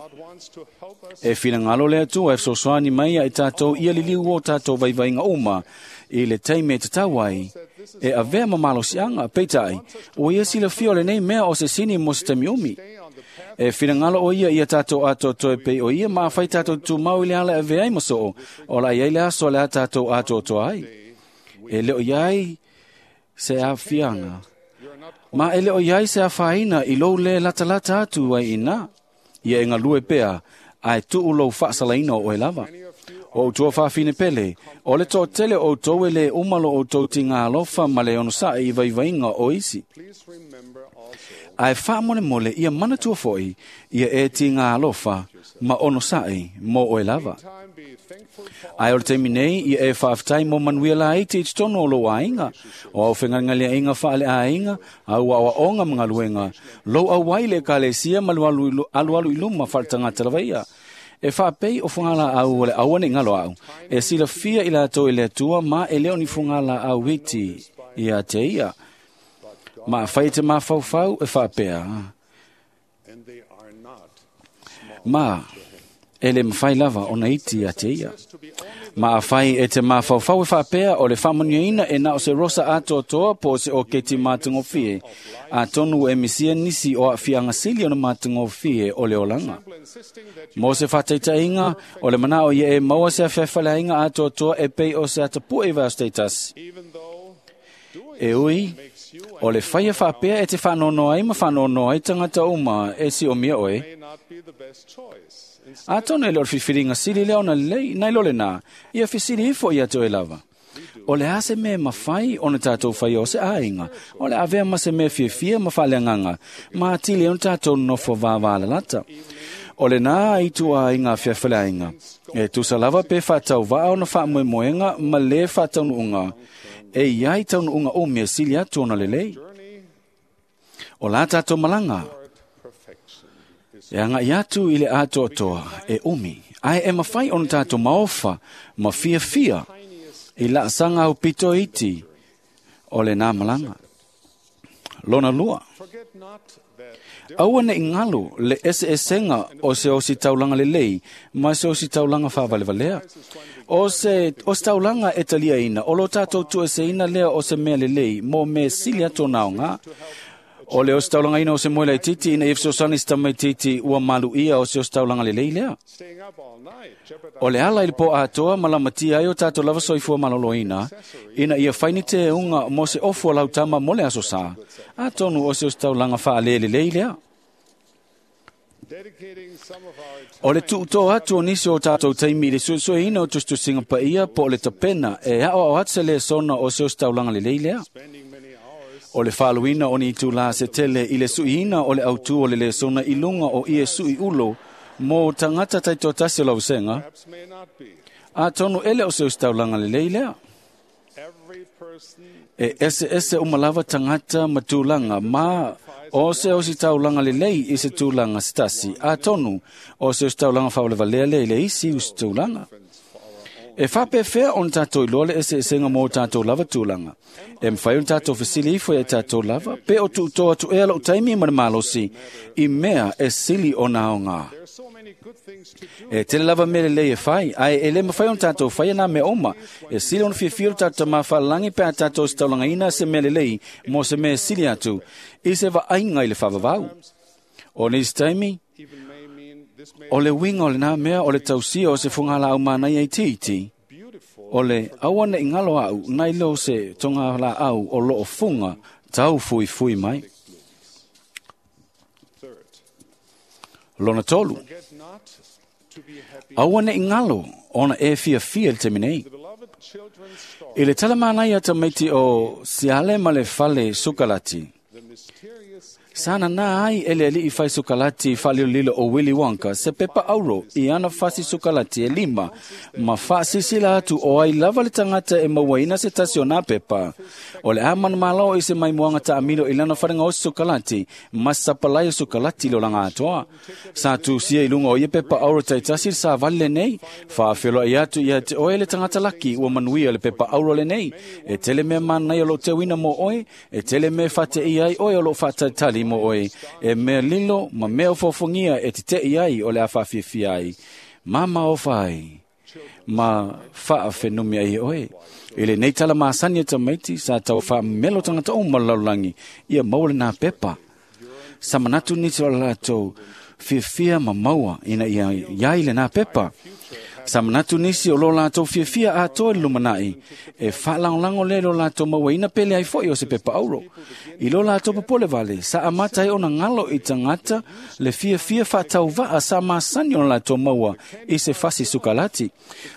E finagalo le Atua e fesoasoani mai ia i tatou ia liliu o tatou vaivaiga uma i le taimi e tatau ai e avea ma malosiaga. Peitai, ua ia silafia o lenei mea o se sini mo se taimi umi. E finagalo o ia ia tatou atoatoa e pei o ia ma afai tatou tumau i le ala e avea ai ma soo, o la iai le aso o le a tatou atoatoa ai. E le o iai se aafiaga, ma e le o iai se afaina i lou lē latalata atu ai i ina. Ia e galue pea, ae tuu lou faasalaina o oe lava. O outou faafine pele, o le toatele o outou e lē uma lo outou tiga alofa ma le onosa'i i vaivaiga o isi. Ae faamolemole ia manatua fo'i ia e tiga alofa ma onosa'i mo oe lava. Ae o le taimi nei ia e faafetai mo manuia laiti i totonu o lou aiga, o au fegalegaleaiga faaleaiga, au aoaoga ma galuega, lou auai i le ekalesia ma le alualu i luma faaletagata lava ia. E faapei o fugalaau o le aua ne'i galo a'u, e silafia i latou e le Atua ma e le o ni fugalaau iti ia te ia. Ma afai e te mafaufau e faapea, ma e le mafai lava ona iti ia te ia. Ma afai e te mafaufau e faapea o le faamanuiaina e na o se rosa atoatoa po o se oketi matagofie, atonu e misia nisi o aafiaga sili ona matagofie o le olaga. Mo se faataitaiga, o le manao ia e maua se afeafaleaiga atoatoa e pei o se atapue i vaiaso taitasi. E ui, o le faia faapea e te faanoanoa ai ma faanoanoa ai tagata uma e siomia oe. Atonu e le o le filifiliga sili lea ona lelei, nai lo lenā, ia fesili ifo ia te oe lava. O le a se mea e mafai ona tatou faia o se aiga, o le avea ma se mea fiafia ma faaleagaga, ma atili ai ona tatou nonofo vavalalata. O lenā itu aiga feafeleaiga, e tusa lava pe faatauvaa ona faamoemoega ma lē faataunuuga, e iai taunuuga umi e sili atu ona lelei. O la tatou malaga, e aga'i atu i le atoatoa e umi, ae e mafai ona tatou maofa ma fiafia i laasaga aupito iti o lenā malaga. Lona lua, aua ne'i galo le eseesega o se ositaulaga lelei ma se ositaulaga faavalevalea. O se ositaulaga e taliaina o lo tatou tuueseina lea o se mea lelei mo mea sili atu ona aogā. O le ositaulagaina o se moe laitiiti ina ia fesoasoani se tamaitiiti ua maluia o se ositaulaga lelei lea. O le ala i le po atoa ma lamatia ai o tātou lava soifua maloloina, ina ia faini te unga mo se ofu o lautama mo le aso sā, atonu o se ositaulaga faalelelei lea. O le tuutoa atu o nisi o tātou taimi i le suesueina o tusitusiga paia po o le tapena e aoao atu se lesona o se ositaulaga lelei lea. O le faaluina o ni itulā se tele i le suiina o le autū o le lesona i luga o ie sui ulo mo tagata taitoatasi o lausega, atonu ele o se ositaulaga lelei lea. E ese ese uma lava tagata ma tulaga ma o se ositaulaga lelei i se tulaga se tasi, atonu o se ositaulaga faavalevalea lea i le isi usitulaga. E faapefea ona tātou iloa le eseesega mo tātou lava tulaga. E mafai ona tātou fesili ifo ia tātou lava, pe o tuutoa atu ea lou taimi ma le malosi, i mea e sili ona aogā. E tele lava mea lelei e fai, ae e le mafai ona tātou faia nā mea uma. E sili ona fiafia lo tātou tamā faalalagi pe a tātou ositaulagaina se mea lelei mo se mea e sili atu, i se vaaiga i le faavavau. O nisi taimi, o le uiga o lenā mea o le tausia o se fogalaau manaia itiiti, o le aua neʻi galo aʻu nai lo se togalaau o loo fuga tau fuifui mai. Lona tolu, aua neʻi galo ona e fiafia i le taimi nei. I le tala manaia tamaiti o siale ma le fale sukalati, sa nanā ai e le aliʻi fai sukalati faalilolilo o Willy Wonka se pepa auro i ana fasi sukalati e lima ma faasilasila atu o ai lava le tagata e mauaina se tasi o nā pepa. O le a manumalo i se maimoaga taamilo i lana falegaosi sukalati ma se sapalai o sukalati i le olaga atoa. Sa tusia i luga o ia pepa auro taitasi le savali lenei, faafeloai atu ia te oe le tagata laki ua manuia le pepa auro lenei. E tele mea manaia o loo teuina mo oe, e tele mea faateia ai oe o loo faatalitali mo oe, e mea lilo ma mea ofofogia e teteʻi ai o le a faafiafia ai, ma maofa ai, ma faafenumi ai e oe. I lenei tala masani e tamaiti, sa tau faamelo tagata uma o le lalolagi, ia maua lenā pepa. Sa manatu nisi o le latou fiafia ma maua ina ia iai lenā pepa. Sa manatu nisi o lo latou fiafia atoa i le lumanai, e faalagolago lea i lo latou mauaina pele ai foi o se pepa auro. I lo latou popole vale, sa amata ai ona galo i tagata le fiafia faatauvaa sa masani ona latou maua i se fasi sukalati.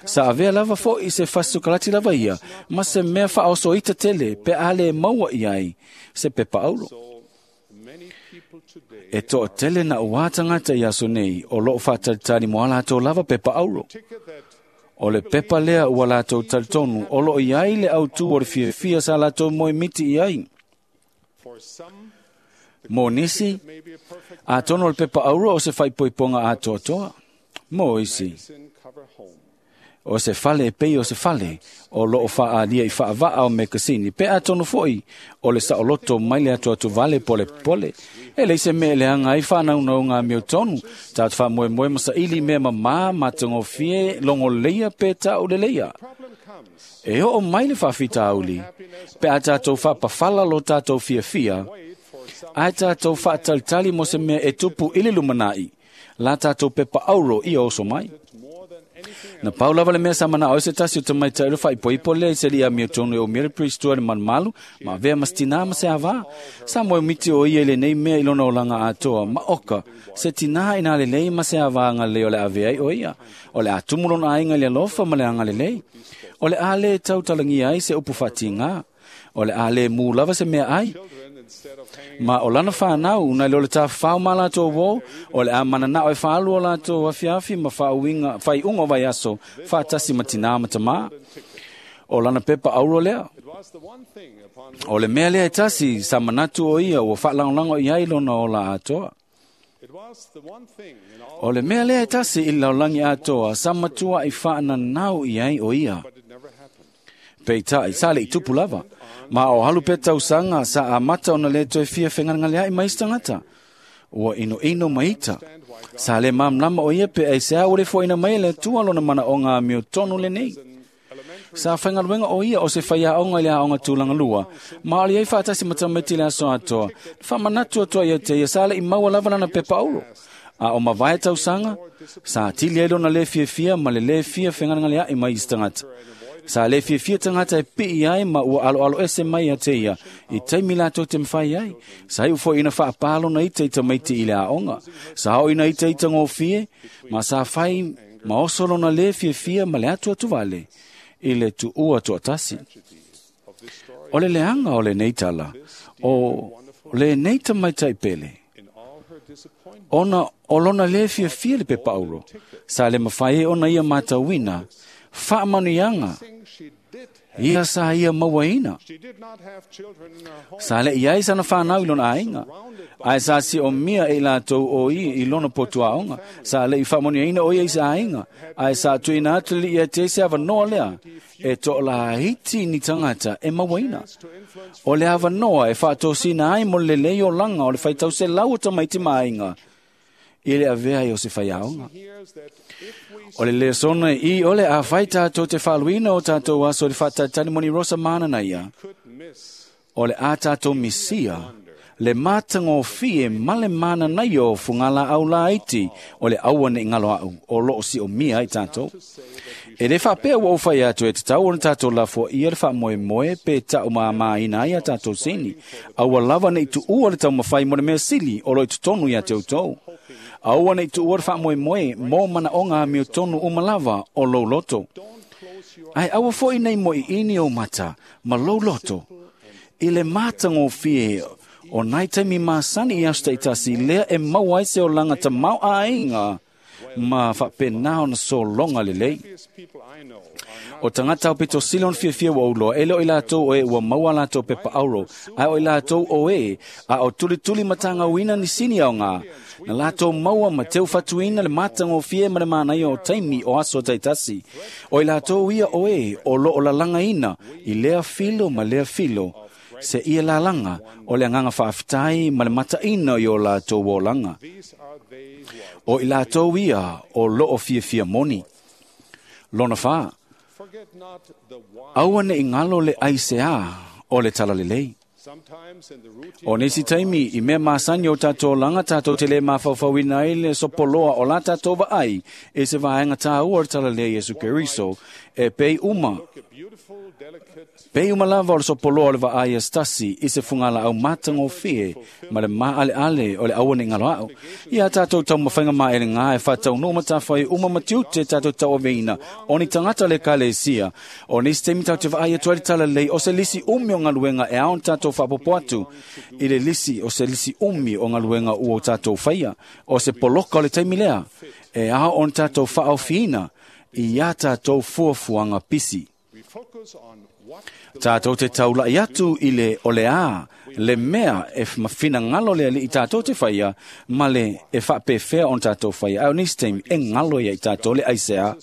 Sa avea lava foi i se fasi sukalati lava ia, ma se mea faaosoita tele pe a le maua i ai se pepa auro. E toatele na uā tagata i aso nei o loo faatalitali mo a latou lava pepa auro. O le pepa lea ua latou talitonu o loo i ai le autū o le fiafia sa latou moemiti i ai. Mo nisi, atonu o le pepa auro o se faaipoipoga atoatoa. Mo isi, o se fale e pei o se fale o loo faaalia i faavaa o mekasini, pe atonu foi o le saoloto mai le atuatu vale pole pole. E leai se mea e leaga ai faanaunauga amiotonu, tatou faamoemoe ma saili mea mamā matagofie logoleia pe tauleleia. E oo mai le faafitauli, pe a tatou faapafala lo tatou fiafia, ae tatou faatalitali mo se mea e tupu i le lumanai, la tatou pepa auro ia oso mai. Na pau lava le mea sa manao ai se tasi o tamaitai o le faaipoipo lea i se alii amiotonu e umia le priest le malumalu, ma avea ma se tinā ma se avā. Sa moemiti o ia i lenei mea i lona olaga atoa, ma oka, se tinā ina lelei ma se avā agalelei o le avea ai o ia. O le a tumu lona aiga i le alofa ma le agalelei. O le a le tautalagia ai se upu faatigā. O le a le mū lava se mea ai. Ma o lana whanau, nai lo le tawhao ma latou wō, o le a mananao e whaalu o latou afiafi ma whaauinga, whaiunga o vaiaso, whaatasi ma tinā ma tamā. O lana pepa auro lea. O le mea lea e tasi, sa manatu o ia, ua whaalangolanga i ai lona o la atoa. O le mea lea e tasi i laulangi atoa, sa matua i whaananau i ai o ia. Peitai, sa le i tupu lava. Ma o halu pe tausanga sa amata ona le toe fia whengangalea i mais tangata. Ua ino ino maita. Sa le mamlama o ia pe ai se au le foina mai le tua lona mana o ngā mio tonu le nei. Sa whaingaluenga o ia o se whaiaonga i le aonga tūlanga lua. Ma ole ai whaatasi matameti le aso atoa. Whamanatu atoa ia te ia sa le i maua lava lana pepa auro. A o mavae tausanga, sa tili ai lona le fiafia ma le le fia whengalangalea i mai isi tangata. Sa le fiafia tangata e pii ai ma ua alo alo ese mai a te ia. I taimi lātou te mwhai ai. Sa iu fo ina whaapalo na ita i tamaiti i le aonga. Sa o ina ita ita ngōfie, ma sa whai ma oso lona le fiafia ma le atu atu vale. I le tu ua tuatasi. O le leanga o le nei tala, o le nei tamaitai pele. Ona o lona le fiafia le pepa auro. Sa le mawhai e ona ia mātauina, whaamanuianga, ia sa ia mauaina. Sa le iai sana whanau i lona ainga. Ai sa si o mia e lātou o i i lona potuaonga. Sa le i whaamanuiaina o ia i sa ainga. Ai sa tuina atu li ia te se awanoa lea. E to la hiti ni tangata e mauaina. O le awanoa e whaatosina ai mo le lei o langa o le whaitau se lau o tamaiti maainga. I le avea i o se whaiaonga. O le lesona i o le a whai tātou te whaluina o tātou aso le whātatani moni rosa mana na ia. O le a tātou misia, le mātangōfie ma le mana na ia o fungala au la iti o le aua ne ngalo au o loo si o mia i tātou. E le whapea wa o whai atu e te tau o na tātou lafo ia le wha moe pe tau maa maa ina ia tātou sini. Aua lava nei tu ua le tau mawhai mo le mea sili o loi tutonu ia te utou. Aua nei tu ua le wha moe moe mō mana o ngā meo tonu umalava o lou loto. Ai aua foi nei mo i ini o mata ma lou loto. I le mātangōfie o nai taimi māsani i aso taitasi lea e mau ai se o langa ta mau ainga ma whapenā ona so longa lelei. O tangata o pito sili on fiafia wa uloa, e leo i lātou o e ua maua lātou pepa auro, ai o i lātou o e, a o tuli tuli matanga uina ni sini au ngā. Na lātou maua ma teu whatuina le mātanga o fie ma le mānai o taimi o aso taitasi. O i lātou ia o e, o lo o lalanga ina, i lea filo ma lea filo, se ia lalanga o le anganga whaaftai ma le mataina i o lātou o langa. O i lātou ia o lo o fiafia moni. Lona wha, aua ne ingalo le aisea o le talalelei. O nisi taimi i mea māsani o tātou langa tātou te le mawhawhawina i le sopoloa o la tātou vaai e se vaenga tāua o le talalelei Yesu Keriso e pei uma. Pei uma lava o le sopoloa o le vaai e stasi i se fungala au mātangōfie ma le maale ale o le aua ne ngalo au. Ia tātou tau mawhainga maa ele ngā e whātau no matawhai uma matiute tātou tau aveina o ni tangata le kalesia. O nisi taimi tātou te vaai e tua le talalelei o se lisi umi o ngaluenga e aon tātou whaapopo atu i le lisi o se lisi umi o ngaluenga ua o tātou whaia o se poloka o le taimi lea e ao on tātou whaofiina i a tātou fuafuanga pisi. Tātou te taulai atu i le o le a, le mea e mawhina ngalo le ali i tātou te whaia, ma le e whapewhea on tātou whaia. Au nisi taimi e ngalo ia i tātou le aisea.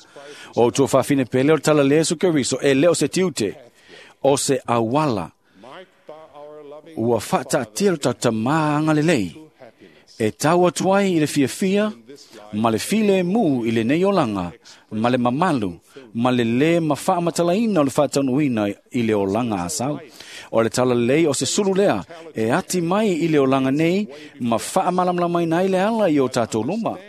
O tua whawhine pele o le tala le Yesu Keriso e leo se tiute, o se awala. Ua whaataatia lo tau maanga lelei. E tau atu ai i le fiafia, ma le file mu i le nei olanga, ma le mamalu, ma le le ma whaamatalaina o le whaataunuina i le olanga asau. O le talalei o se sulu lea, e ati mai i le olanga nei, ma whaamalamalamaina i le ala i o tātou luma.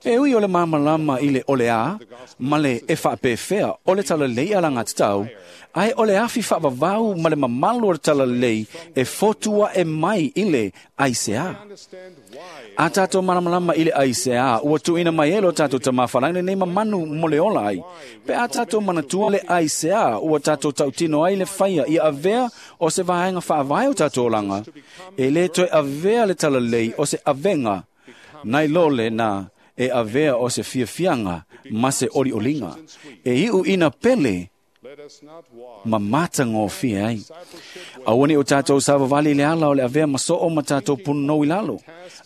E ui o le mamalama i le ole a, ma le e whaapewhea o le talalei ala ngā tatau, ai o le awhi whaavavau ma le mamalu o le talalei e fotua e mai i le aisea. A tātou malamalama i le aisea, ua tuina mai e lo tātou tamawhalaina nei mamanu mo le ola ai. Pe a tātou manatua le aisea, ua tātou tautino ai le whaia i avea o se vaenga whaavae o tātou olanga. E le toe avea le talalei o se avenga, nai lole na e avea o se fiafianga ma se oli olinga. E iu ina pele ma mata ngōfia ai. Aua o tātou savavali le ala o le avea maso o ma tātou punonou i lalo.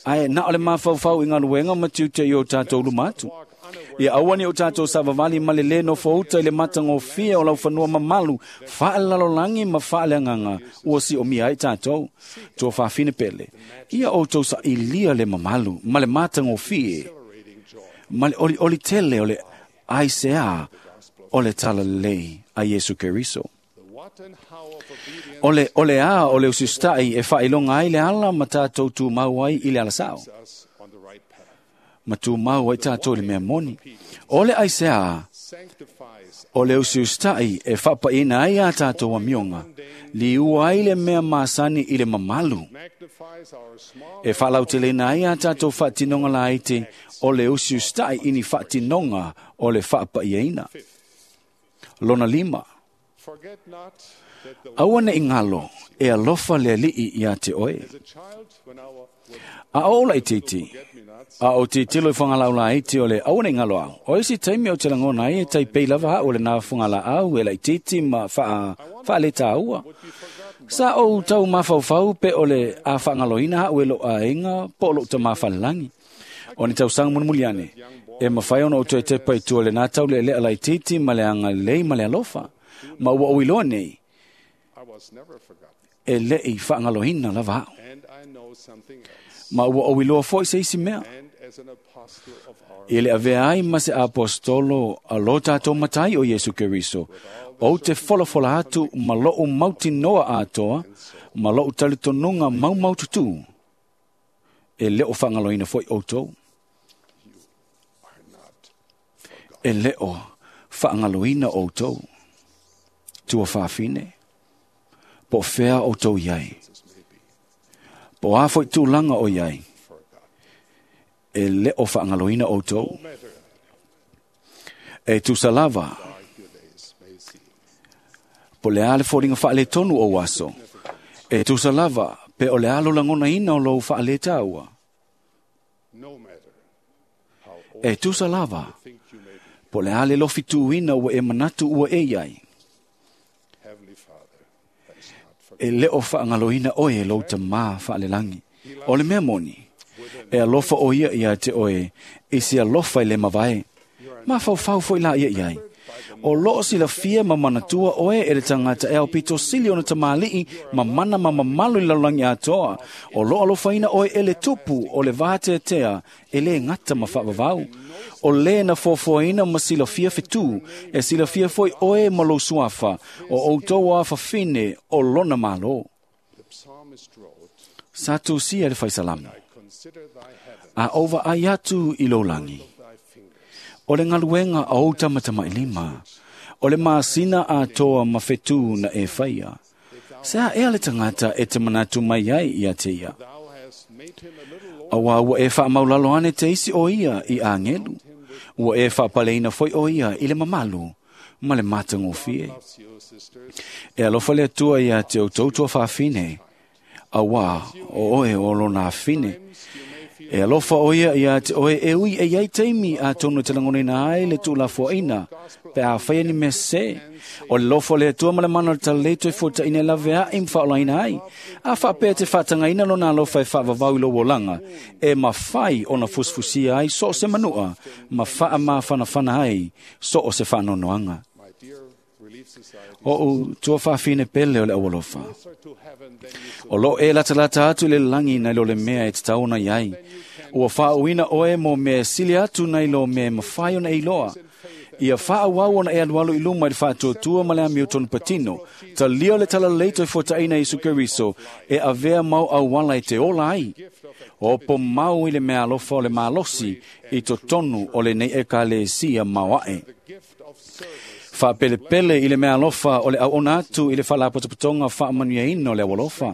Ai na o le mafaufau i ngaluenga ma tiute i o tātou luma atu. Ia aua o tātou savavali ma le le no fouta i le mata ngōfia o lau whanua mamalu whaelalolangi ma whaeleanganga ua si o mia ai tātou. Tua whawhine pele. Ia o tau sa ilia le mamalu ma le mata ngōfia ma le oli oli tele o le aisea o le talalelei a Iesu Keriso. O le, o le a o le usiusitai e faailoga ai le ala ma tātou tumau ai i le alasao. Ma tumau ai tātou i le mea moni. O le aisea o le usiusitai e faapaina ai a tātou amioga, liua ai le mea masani i le mamalu. E faalauteleina ai a tātou faatinoga laiti o le usiusitai i ni faatinoga o le faapaiaina. Lona lima, aua ne i galo e alofa le Alii ia te oe. A o laitiiti, a o titilo i whangalaulaiti o le aua ne i galo au. O isi taimi o te langona ai e taipei lava au le nā whangalaau e laitiiti ma wha, whaaleta aua. Sa o tau mafaufau pe o le a whangaloina au e lo aenga po lo ta mawhalalangi. O ni tausaga mulimuliane, e mawhai ona o toe tepa i tua le nā tau le lea laitiiti ma le anga lei ma le alofa. Ma ua oiloa nei, e lei whaangaloina lava au. Ma ua oiloa foi se isi mea. I le avea ai ma se apostolo a lo tātou matai o Iesu Keriso, o te folafola atu ma lou mautinoa atoa, ma lou talitonunga maumaututu, e leo whaangaloina foi outou. E leo whaangaloina outou. Tua whaafine, po whea o tau iai. Po a foi tūlanga o iai. E leo whaangaloina o tau. E tusalava, po le ale fōringa whaale tonu o aso. E tusalava, pe o le alo langona ina o lou whaale tāua. E tusalava, po le ale lofi tūina ua e manatu ua e iai. E leo whaangaloina oe e lou tamā whaalelangi. O le mea moni, e alofa o ia ia te oe, i se alofa i le mavae. Ma whauwhau foi la ia iai. O loo sila fia ma manatua oe e le tangata e au pito sili ona tamalii ma mana ma mamalu i lalulangi atoa. O loo alofaina oe e le tupu o le vāteatea e le ngata ma whaavavau. O le na fofoina ma silafia fetu, e silafia foi oe ma lou suafa, o outou a fafine o lona malo. Sa tusia le whaisalamu, a ova ai atu i laulangi. O le ngaluenga a o tamatama i lima, o le masina a toa ma fetu na e whaia. Se a ea le tangata e te manatu mai ai ia te ia. Awa ua e wha maulalo ane te isi o ia i angelu. Ua e wha paleina foi o ia i le mamalu, ma le matangofie. E alofa le atua ia te o tautua whaafine. Awa o oe o lona afine. E alofa o ia ia te oe e ui e iai teimi a tono te langone ai le tūlafuaina. Pe a whaia ni mea se. O le lofo le atua ma le mana o le talaleito e fōta ina lave a i mwhaolaina ai. A whaapea te whaatangaina lona alofa e whaavavau i lo wolanga. E mawhai ona fusfusia ai so o se manua. Ma whaa mawhanawhana ai so o se whaanonoanga. O u tua whaafine pele o le awalofa. O lo e latalata atu le langi nei lo le mea e te taona iai. Ua whaauina oe mo mea sili atu nei lo mea mawhai ona e iloa. Ia whaawau ona e alualu i luma i le whaatuatua ma le ami o tonu patino. Ta lio le talaleito e fōtaina Isu Keriso e avea mau auala e te ola ai. O po mau i le mea alofa o le malosi i to tonu o le nei e ka le sia mauae. Whaapelepele i le mea alofa o le auona atu i le whaalapotopotonga whaamanuiaina o le awalofa.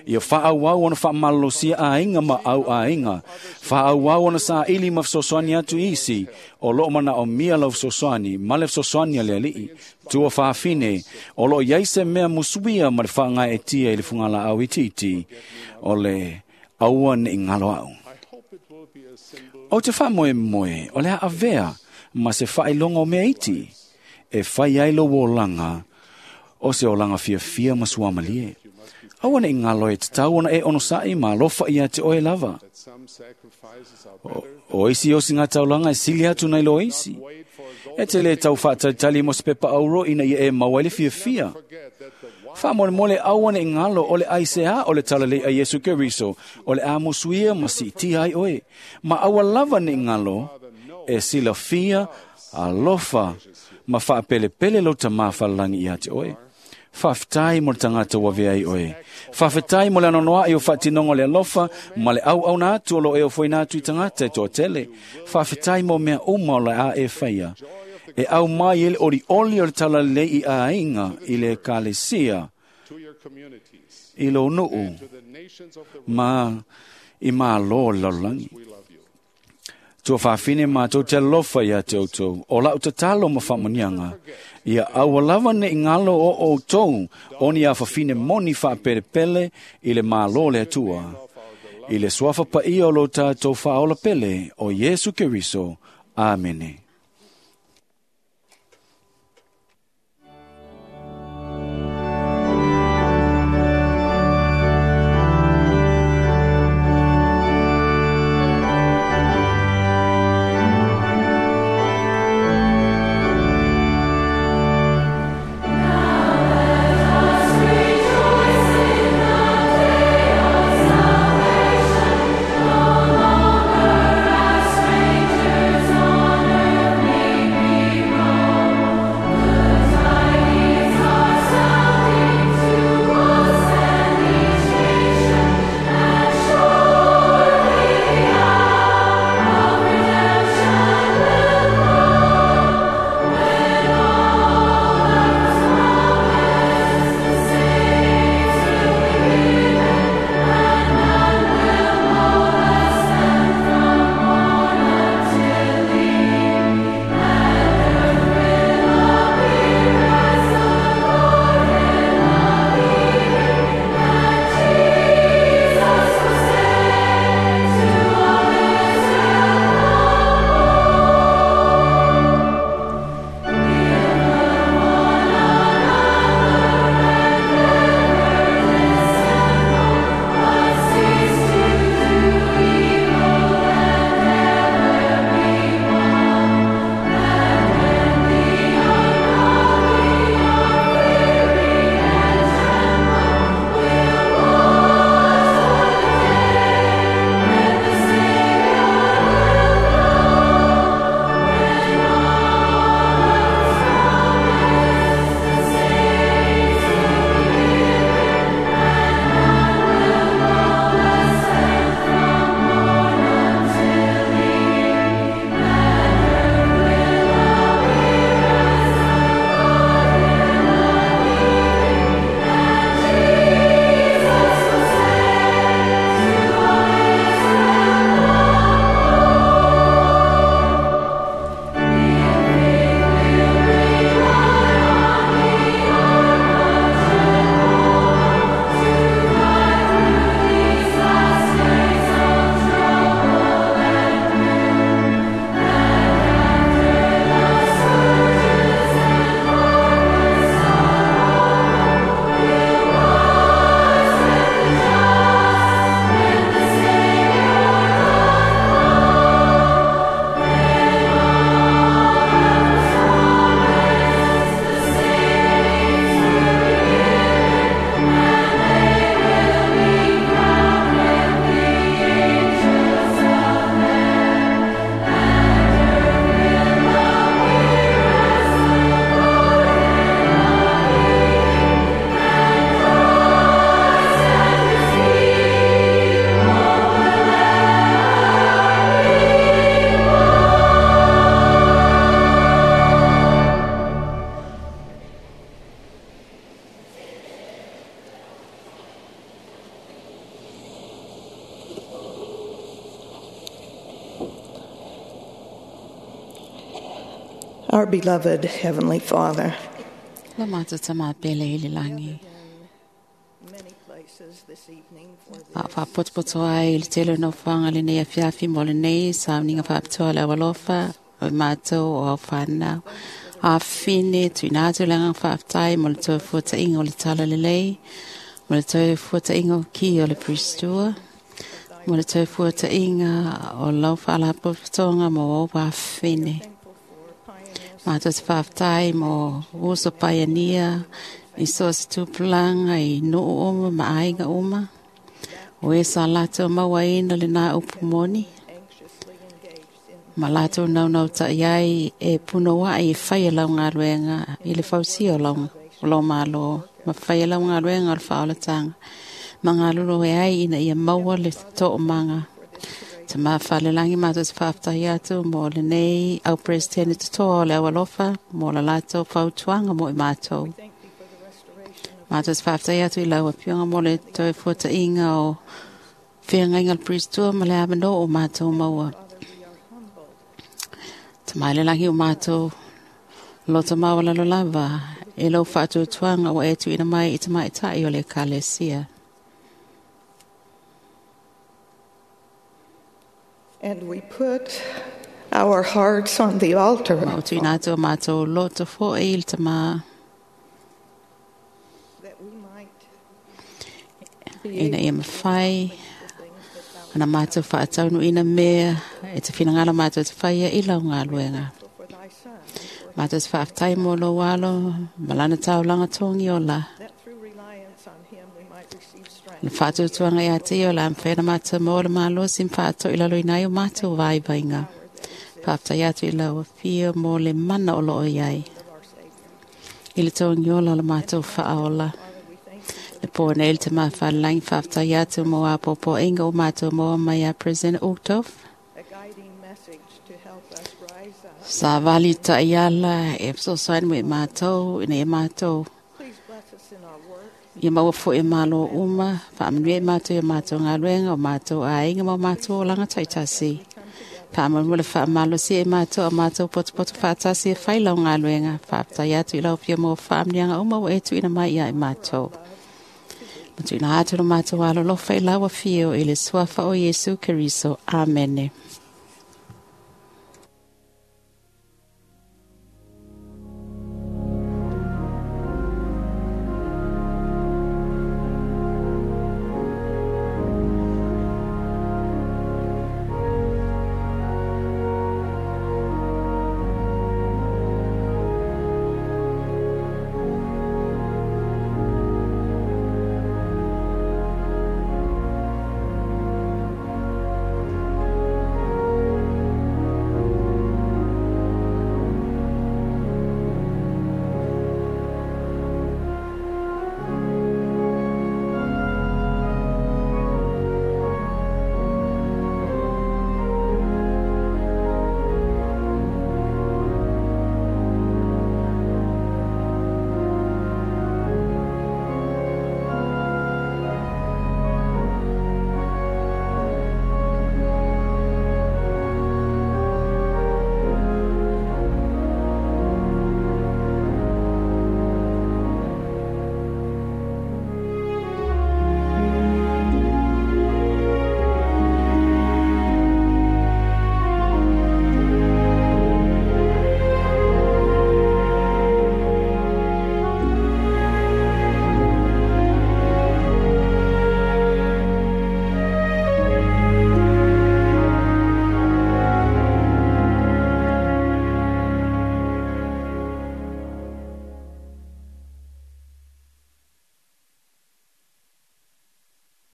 Ia whaauau ona whaamalolosia ainga ma au ainga. Whaauau ona sāili ma fesoasoani atu isi o loo mana o mia lau fesoasoani ma le fesoasoani a le alii. Tua whaafine o loo iai se mea musuia ma le whaangai e tia i le fungala au itiiti o le aua ne i ngalo au. O te whaamoe moe o le avea ma se whailonga o mea iti. E whai ai lo olanga, o se olanga fia fia masuamalie. Aua ne i ngalo e te tau ona e ono sa'i ma alofa ia te oe lava. O, o isi osi ngā taulanga e sili atu nei lo isi. E te le tau whaatalitali mo se pepa auro ina ia e maua le fia fia. Whaamolemole aua ne i ngalo o le aisea o le talalei a Iesu Keriso, o le amusuia ma si iti ai oe. Ma aua lava ne i ngalo e silafia alofa Ma whaapelepele lo ta mawhalalangi ia te oe. Whawhitai mo le tangata ua vea i oe. Whawhitai mo le anonoa i o whaatinongo le alofa, ma le au au nā atu o lo e o foina atu i tangata e toa tele. Whawhitai mo mea uma o le a e whaia. E au mai ele ori oli o le talalei i a inga i le kalesia i lo nuu ma i mā lo lalolangi. Tua whawhine mātou te alofa ia te outou, o lau tatalo ma whamanianga. Ia aua lava ne i ngalo o outou, o ni a whawhine moni whaapelepele i le mālo le atua. I le suafa paia o lo tātou whaola pele o Yesu Keriso. Amene. Strangers on earth may we Our beloved Heavenly Father, Lo mātou ta mā pele i le langi. A whāpotopoto ai i le tele no whanga le nei a fiafi mo le nei, sa mninga whāpitoa le awalofa, o mātou o au whānau. A whine, tuina atu le ngā whaaftai mo le tau fuata inga o le tala le lei, mo le tau fuata inga o ki o le pristua, mo le tau fuata inga o lau whaalapotopotoga mo au whawhine. Mātou te whaaftai mo uso paiania, i so se tupulanga i nuu uma ma aiga uma. O e sa lātou maua ina le nā upu moni. Ma latou naunau taʻi ai e punouaʻi e faia lau galuega i le fausia o lau o lou Malo ma faia lau galuega o le faaolataga ma galulue ai ina ia maua le toomaga. Tamā falelagi matou te faafetaia atu mo lenei au Peresetene totoa o le aualofa mo la latou fautuaga mo i matou. Matou te faafetaia atu i lau Afioga mo le toe fuataʻiga o feagaiga o le Priestua ma le avanō o matou maua. Tamā i le lagi o matou loto maualalo lava e lou faatuatuaga ua e tuuina mai i tamaitaʻi o le Ekalesia. And we put our hearts on the altar. Ma o tuuina atu o matou loto foʻi i le Tamā That we might be ina ia able to mafai accomplish the things that thou ana matou faataunuuina mea e te finagalo matou te faia i lau galuega. for thy Son, and for Matou te faafetai mo lou alo ma lana taulaga togi ola. that through reliance on him we might receive strength. Le faatuatuaga ia te ia o le a mafai ona matou maua le malosi ma faatoʻilaloina ai o matou vaivaiga. Faafetai atu i lau Afio mo le mana o loo i ai. Of our Savior. I le togi ola o le matou faaola. Father, we thank you Le pō nei le te mawhalangi faafetai atu mo a popoʻiga o matou maua mai a President Uchtdorf. a guiding message to help us rise up. Sa vali taʻiala e fesoasoani mo i matou ina ia matou Please bless us in our work, ia maua foʻi e malo uma faamanuia i matou ia matou galuega o matou aiga ma o matou olaga taitasi. Faamolemole faamalosia i matou a matou potopoto faatasi e fai lau galuega. Faafetai atu i lau Afioga mo faamanuiaga uma ua e tuuina mai ia i matou. Ma tuuina atu lo matou alolofa i lau Afio i le suafa o Iesu Keriso. Amene.